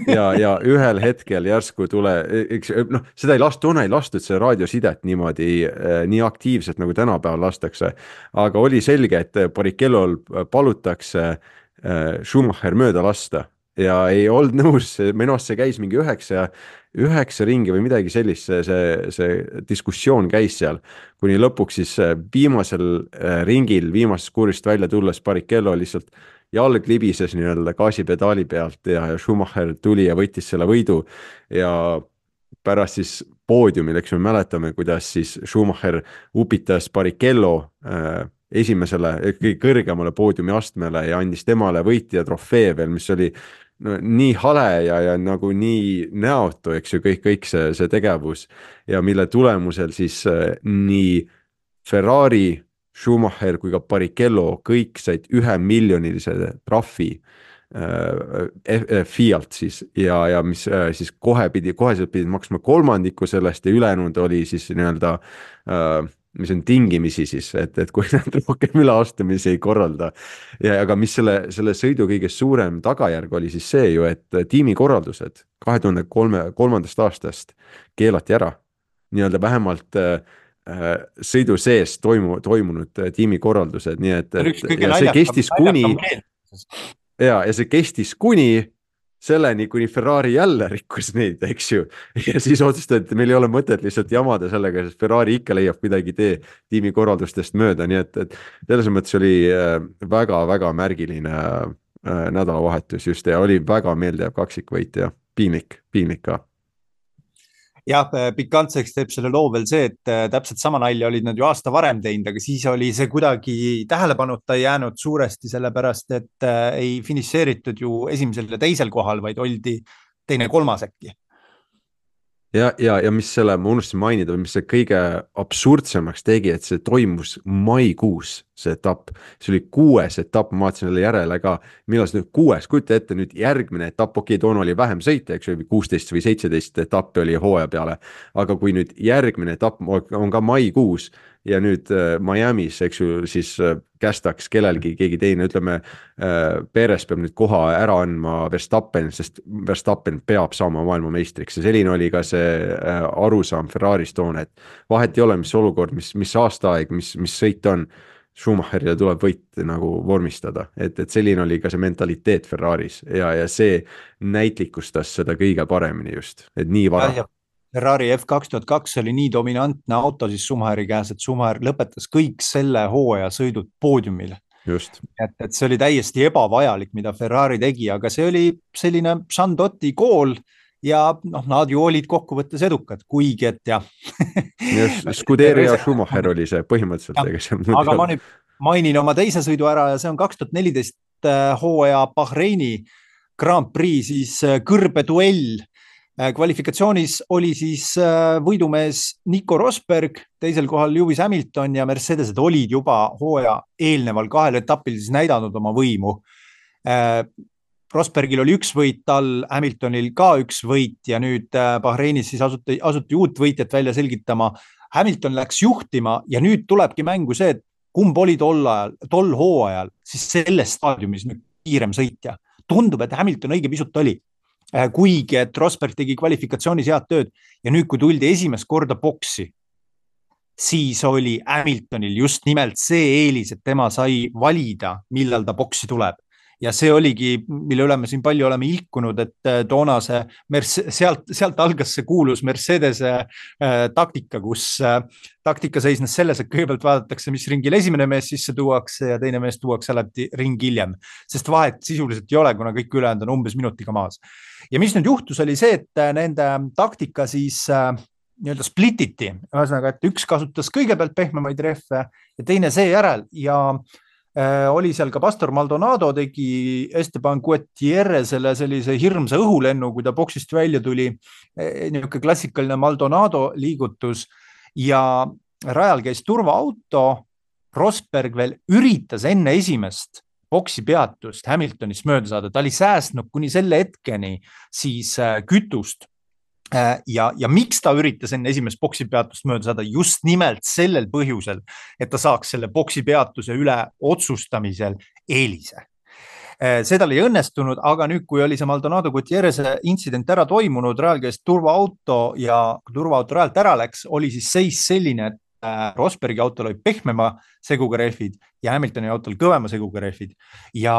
ja, ja ühel hetkel järsku tule, eks, no, seda ei lastud, toona ei lastud see raadiosidet niimoodi nii aktiivselt nagu tänapäeval lastakse, aga oli selge, et Barrichello'l palutakse Schumacher mööda lasta ja ei olnud nõus, minu arust see käis mingi üheksa, üheksa ringi või midagi sellist, see, see, see diskussioon käis seal, kuni lõpuks siis viimasel ringil, viimasest kuurist välja tulles Barrichello lihtsalt jalg libises nii-öelda gaasipedaali pealt ja, ja Schumacher tuli ja võttis selle võidu ja pärast siis poodiumil, eks me mäletame, kuidas siis Schumacher upitas Barrichello äh, esimesele, kõige kõrgemale poodiumi astmele ja andis temale võitja trofee veel, mis oli no, nii hale ja, ja nagu nii näotu, eks ju, kõik, kõik see, see tegevus ja mille tulemusel siis äh, nii Ferrari, Schumacher kui ka Barrichello kõik said ühe miljonilise trahvi äh, Fiat siis ja, ja mis äh, siis kohe pidi, koheselt pidid maksma kolmandiku sellest ja ülejäänud oli siis nii-öelda äh, mis on tingimisi siis, et, et kui nad rohkem üleastumisi ei korralda. Ja, aga mis selle, selle sõidu kõige suurem tagajärg oli siis see ju, et tiimikorraldused kahe tuhande kolmandast aastast keelati ära. Nii-öelda vähemalt äh, sõidu sees toimu, toimunud tiimikorraldused, nii et, et ja see kestis kuni ja, ja see kestis kuni selleni, kuni Ferrari jälle rikkus neid, eks ju. Ja siis otsustati, et meil ei ole mõtet lihtsalt jamada sellega, sest Ferrari ikka leiab midagi tee tiimikorraldustest mööda, nii et, et selles mõttes oli väga-väga märgiline nädalavahetus just ja oli väga meeldejääv kaksikvõit ja piinlik, piinlik ka. Jah, pikantseks teeb selle loo veel see, et täpselt sama nalja olid nad ju aasta varem teinud, aga siis oli see kuidagi tähelepanuta jäänud suuresti sellepärast, et ei finišeeritud ju esimesel ja teisel kohal, vaid oldi teine kolmas äkki. Ja, ja, ja mis selle, ma unustasin mainida, mis see kõige absurdsemaks tegi, et see toimus maikuus. see etapp, see oli kuues etapp, ma vaatasin selle järele ka, millal see nüüd kuues, kujuta ette nüüd järgmine etapp, okei okay,, toona oli vähem sõita, eks ju, kuusteist või seitseteist etappi oli hooaja peale, aga kui nüüd järgmine etapp on ka maikuus ja nüüd äh, Miami's, eks ju, siis äh, kästaks kellelgi keegi teine, ütleme äh, Perez peab nüüd koha ära andma Verstappen, sest Verstappen peab saama maailmameistriks ja selline oli ka see äh, arusaam Ferraris toona, et vahet ei ole, mis olukord, mis, mis aastaaeg, mis, mis sõit on, Schumacherile tuleb võit nagu vormistada, et, et selline oli ka see mentaliteet Ferraris ja, ja see näitlikustas seda kõige paremini just, et nii vara. Ferrari F kaks tuhat kaks oli nii dominantne auto siis Schumacheri käes, et Schumacher lõpetas kõik selle hooaja sõidud poodiumil. Just. Et, et see oli täiesti ebavajalik, mida Ferrari tegi, aga see oli selline Sandotti kool ja noh, nad ju olid kokkuvõttes edukad, kuigi et jah. Scuderi ja Schumacher oli see põhimõtteliselt. Ja, aga ma nüüd mainin oma teise sõidu ära ja see on kaks tuhat neliteist hooaja Bahreini Grand Prix, siis kõrbeduell. Kvalifikatsioonis oli siis võidumees Nico Rosberg, teisel kohal Lewis Hamilton ja Mercedesed olid juba hooaja eelneval kahel etapil siis näidanud oma võimu. Rosbergil oli üks võit all, Hamiltonil ka üks võit ja nüüd Bahreinis siis asuti, asuti uut võitjat välja selgitama. Hamilton läks juhtima ja nüüd tulebki mängu see, et kumb oli tol ajal, tol hooajal siis selles staadiumis nüüd kiirem sõitja. Tundub, et Hamilton õige pisut oli, kuigi et Rosberg tegi kvalifikatsioonis head tööd ja nüüd, kui tuldi esimest korda boksi, siis oli Hamiltonil just nimelt see eelis, et tema sai valida, millal ta boksi tuleb. Ja see oligi, mille üle me siin palju oleme ilkunud, et toona see Merce- sealt, sealt algas see kuulus Mercedese äh, taktika, kus äh, taktika seisnes selles, et kõigepealt vaadatakse, mis ringil esimene mees sisse tuuakse ja teine mees tuuakse alati ring hiljem, sest vahet sisuliselt ei ole, kuna kõik ülejäänud on umbes minutiga maas. Ja mis nüüd juhtus, oli see, et nende taktika siis äh, nii-öelda splititi, ühesõnaga, et üks kasutas kõigepealt pehmemaid rehve ja teine seejärel ja Äh, oli seal ka Pastor Maldonado tegi Esteban Gutierrezele sellise hirmsa õhulennu, kui ta boksist välja tuli, niisugune klassikaline Maldonado liigutus ja rajal käis turvaauto, Rosberg veel üritas enne esimest boksi peatust Hamiltonist mööda saada, ta oli säästnud kuni selle hetkeni siis kütust. Ja, ja miks ta üritas enne esimest boksi peatust mööda saada? Just nimelt sellel põhjusel, et ta saaks selle boksi peatuse üle otsustamisel eelise. See tal ei õnnestunud, aga nüüd, kui oli see Maldonado Gutierreze intsident ära toimunud, rajal käis turvaauto ja kui turvaauto rajalt ära läks, oli siis seis selline, et Rosbergi autol oli pehmema seguga rehvid ja Hamiltoni autol kõvema seguga rehvid ja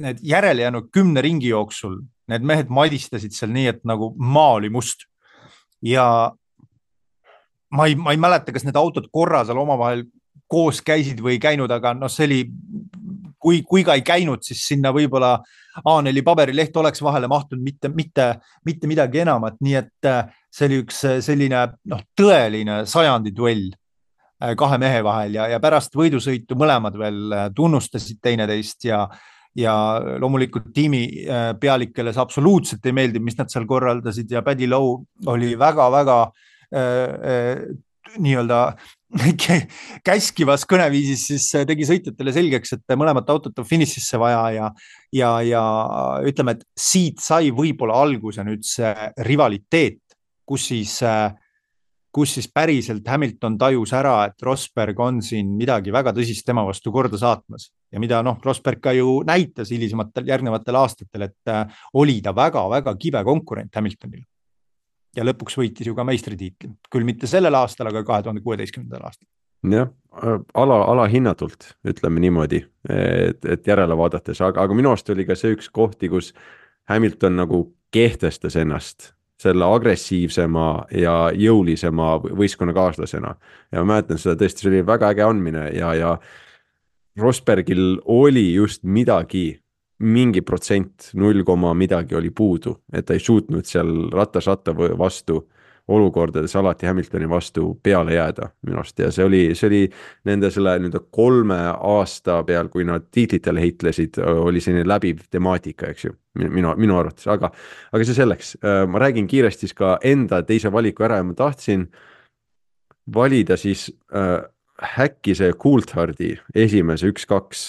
need järele jäänud kümne ringi jooksul need mehed madistasid seal nii, et nagu maa oli must. Ja ma ei, ma ei mäleta, kas need autod korra seal omavahel koos käisid või ei käinud, aga no see oli, kui, kui ka ei käinud, siis sinna võib-olla A neli paberileht oleks vahele mahtunud, mitte, mitte, mitte midagi enamat. Nii et see oli üks selline no, tõeline sajandi duell kahe mehe vahel ja, ja pärast võidusõitu mõlemad veel tunnustasid teineteist ja ja loomulikult tiimi pealikele see absoluutselt ei meeldi, mis nad seal korraldasid ja Paddy Lowe oli väga-väga äh, nii-öelda käskivas kõneviisis, siis tegi sõitjatele selgeks, et mõlemat autot on finišisse vaja ja, ja, ja ütleme, et siit sai võib-olla alguse nüüd see rivaliteet, kus siis äh, kus siis päriselt Hamilton tajus ära, et Rosberg on siin midagi väga tõsist tema vastu korda saatmas. Ja mida noh, Rosberg ka ju näitas hilisematel järgnevatel aastatel, et oli ta väga-väga kibe konkurent Hamiltonil. Ja lõpuks võitis ju ka meistritiitli. Küll mitte sellel aastal, aga kahe tuhande kuueteistkümnendal aastal. Jah, ala, ala hinnatult, ütleme niimoodi, et, et järele vaadates, aga, aga minu arust oli ka see üks kohti, kus Hamilton nagu kehtestas ennast selle agressiivsema ja jõulisema võistkonnakaaslasena. Ja ma mäletan seda tõesti, see oli väga äge andmine ja, ja Rosbergil oli just midagi, mingi protsent, null koma midagi oli puudu, et ta ei suutnud seal ratas-ratta vastu olukordades alati Hamiltoni vastu peale jääda minu arust ja see oli, see oli nende selle nende kolme aasta peal, kui nad tiitlitele heitlesid, oli selline läbiv temaatika, eks ju, minu, minu arvates, aga, aga see selleks. Ma räägin kiiresti ka enda teise valiku ära ja ma tahtsin valida siis äh, häkki see Coulthardi esimese üks-kaks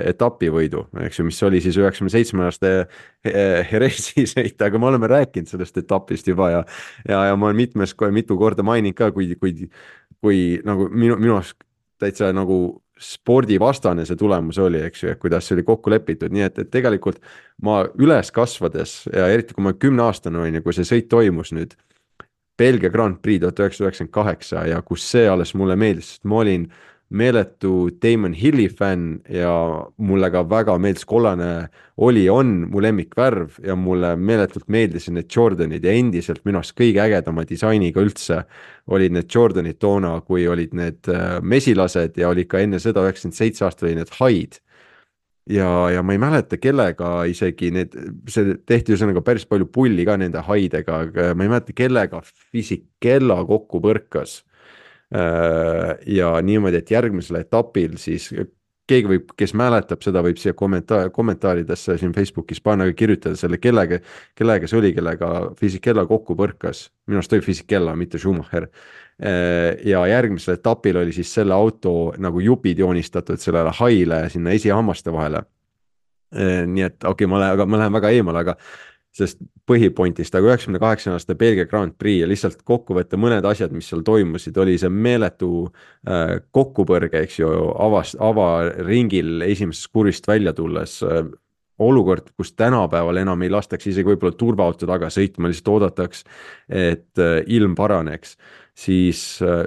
etapivõidu, eks ju, mis oli siis üheksakümne seitsme aasta Jerezi sõit, aga me oleme rääkinud sellest etapist juba ja ja, ja ma olen mitmes, mitu korda maininud ka, kui, kui, kui nagu minu, minu arust täitsa nagu spordivastane see tulemus oli, eks ju, et kuidas see oli kokku lepitud, nii et, et tegelikult ma üles kasvades ja eriti kui ma kümne aastane olin ja kui see sõit toimus nüüd Belgia Grand Prix tuhat üheksasada üheksakümmend kaheksa ja kus see alles mulle meeldis, sest ma olin meeletu Damon Hilli fänn ja mulle ka väga meeldis kollane oli, on mu lemmikvärv ja mulle meeletult meeldisid need Jordanid ja endiselt minu arust kõige ägedama disainiga üldse olid need Jordanid toona, kui olid need mesilased ja oli ka enne seda üheksakümmend seitse aastal oli need haid. Ja, ja ma ei mäleta kellega isegi need, see tehti ühesõnaga päris palju pulli ka nende haidega, ma ei mäleta kellega Fisichella kokku põrkas. Ja niimoodi, et järgmisel etapil siis keegi võib, kes mäletab seda, võib siia kommentaar, kommentaaridesse siin Facebookis panna ja kirjutada selle kellega, kellega see oli, kellega Fisichella kokku põrkas. Minu arust oli Fisichella, mitte Schumacher. Ja järgmisel etapil oli siis selle auto nagu jupid joonistatud sellele haile sinna esihammaste vahele. Nii et okei, okay, ma, lähen, ma lähen väga eemale, aga sest põhipointist, aga üheksakümne kaheksa aasta Belgia Grand Prix ja lihtsalt kokku võtta mõned asjad, mis seal toimusid, oli see meeletu äh, kokkupõrge, eks ju, avast, avaringil esimesest kurvist välja tulles äh, olukord, kus tänapäeval enam ei lastaks isegi võib-olla turvaauto taga sõitma, lihtsalt oodataks, et äh, ilm paraneks, siis äh,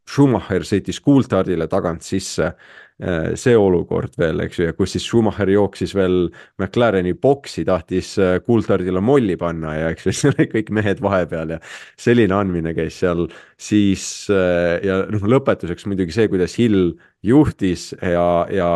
Schumacher sõitis Coulthardile tagant sisse, see olukord veel, eks ju, ja kus siis Schumacher jooksis veel McLareni boksi, tahtis Coulthardile molli panna ja eks ju, see oli kõik mehed vahepeal ja selline andmine käis seal, siis ja noh, lõpetuseks muidugi see, kuidas Hill juhtis ja, ja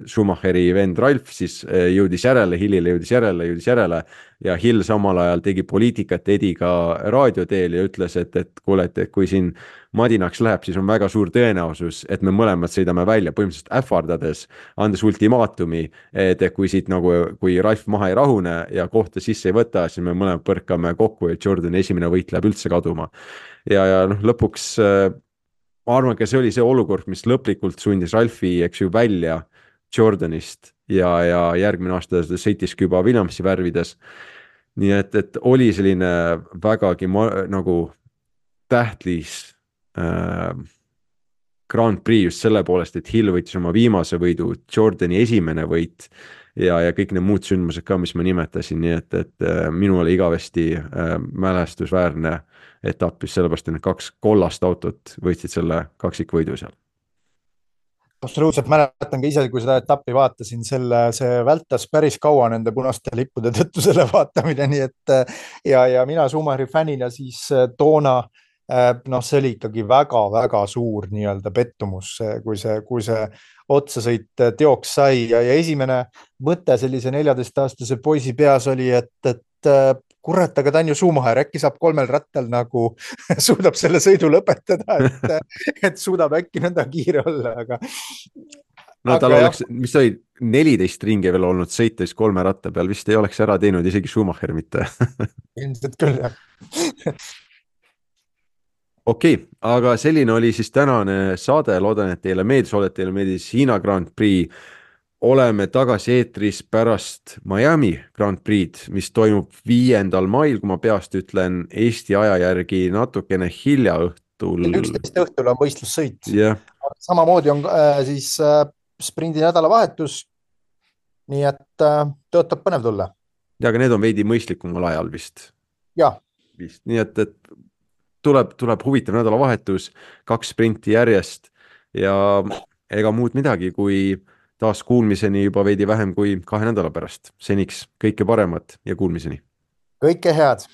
Schumacheri vend Ralf siis jõudis järele, Hillile jõudis järele, jõudis järele ja Hill samal ajal tegi poliitikat Ediga raadioteel ja ütles, et, et kuule, et kui siin madinaks läheb, siis on väga suur tõenäosus, et me mõlemad sõidame välja, põhimõtteliselt ähvardades, andes ultimaatumi, et kui siit nagu, kui Ralf maha ei rahune ja kohta sisse ei võta, siis me mõlemad põrkame kokku ja Jordani esimene võit läheb üldse kaduma. Ja, ja noh, lõpuks ma arvan, ka see oli see olukord, mis lõplikult sundis Ralfi, eks ju, välja Jordanist ja, ja järgmine aasta sõitiski juba Williamsi värvides. Nii et, et oli selline vägagi ma, nagu tähtlis äh, Grand Prix just selle poolest, et Hill võitis oma viimase võidu, Jordani esimene võit ja, ja kõik need muud sündmused ka, mis ma nimetasin, nii et, et äh, minu oli igavesti äh, mälestusväärne etapp just sellepärast, et need kaks kollast autot võitsid selle kaksikvõidu seal. Absoluutselt mäletan ka ise, kui seda etappi vaatasin, selle, see vältas päris kaua nende punaste lippude tõttu selle vaatamine, nii et ja, ja mina Schumacheri fännina siis toona, noh, see oli ikkagi väga-väga suur nii-öelda pettumus, kui see, kui see otsasõit teoks sai ja, ja esimene mõte sellise neljateist-aastase poisi peas oli, et, et kurat, aga ta on ju Schumacher, äkki saab kolmel rattal nagu suudab selle sõidu lõpetada, et, et suudab äkki nõnda kiire olla, aga no tal aga oleks, mis oli neliteist ringi veel olnud sõites kolme ratta peal, vist ei oleks ära teinud isegi Schumacher mitte. Ilmselt küll, jah. Okei, okay, aga selline oli siis tänane saade, loodan, et teile meeldis, oled teile meeldis Hiina Grand Prix. Oleme tagasi eetris pärast Miami Grand Prix, mis toimub viiendal mail, kui ma peast ütlen Eesti aja järgi natukene hilja õhtul. üksteist õhtul on võistlussõit. Yeah. Samamoodi on äh, siis äh, sprindi nädalavahetus, nii et äh, tõotab põnev tulla. Ja, aga need on veidi mõistlikumal ajal vist. Ja. Vist. Nii et, et tuleb, tuleb huvitav nädalavahetus, kaks sprinti järjest ja ega muud midagi, kui taas kuulmiseni juba veidi vähem kui kahe nädala pärast. Seniks kõike paremat ja kuulmiseni. Kõike head!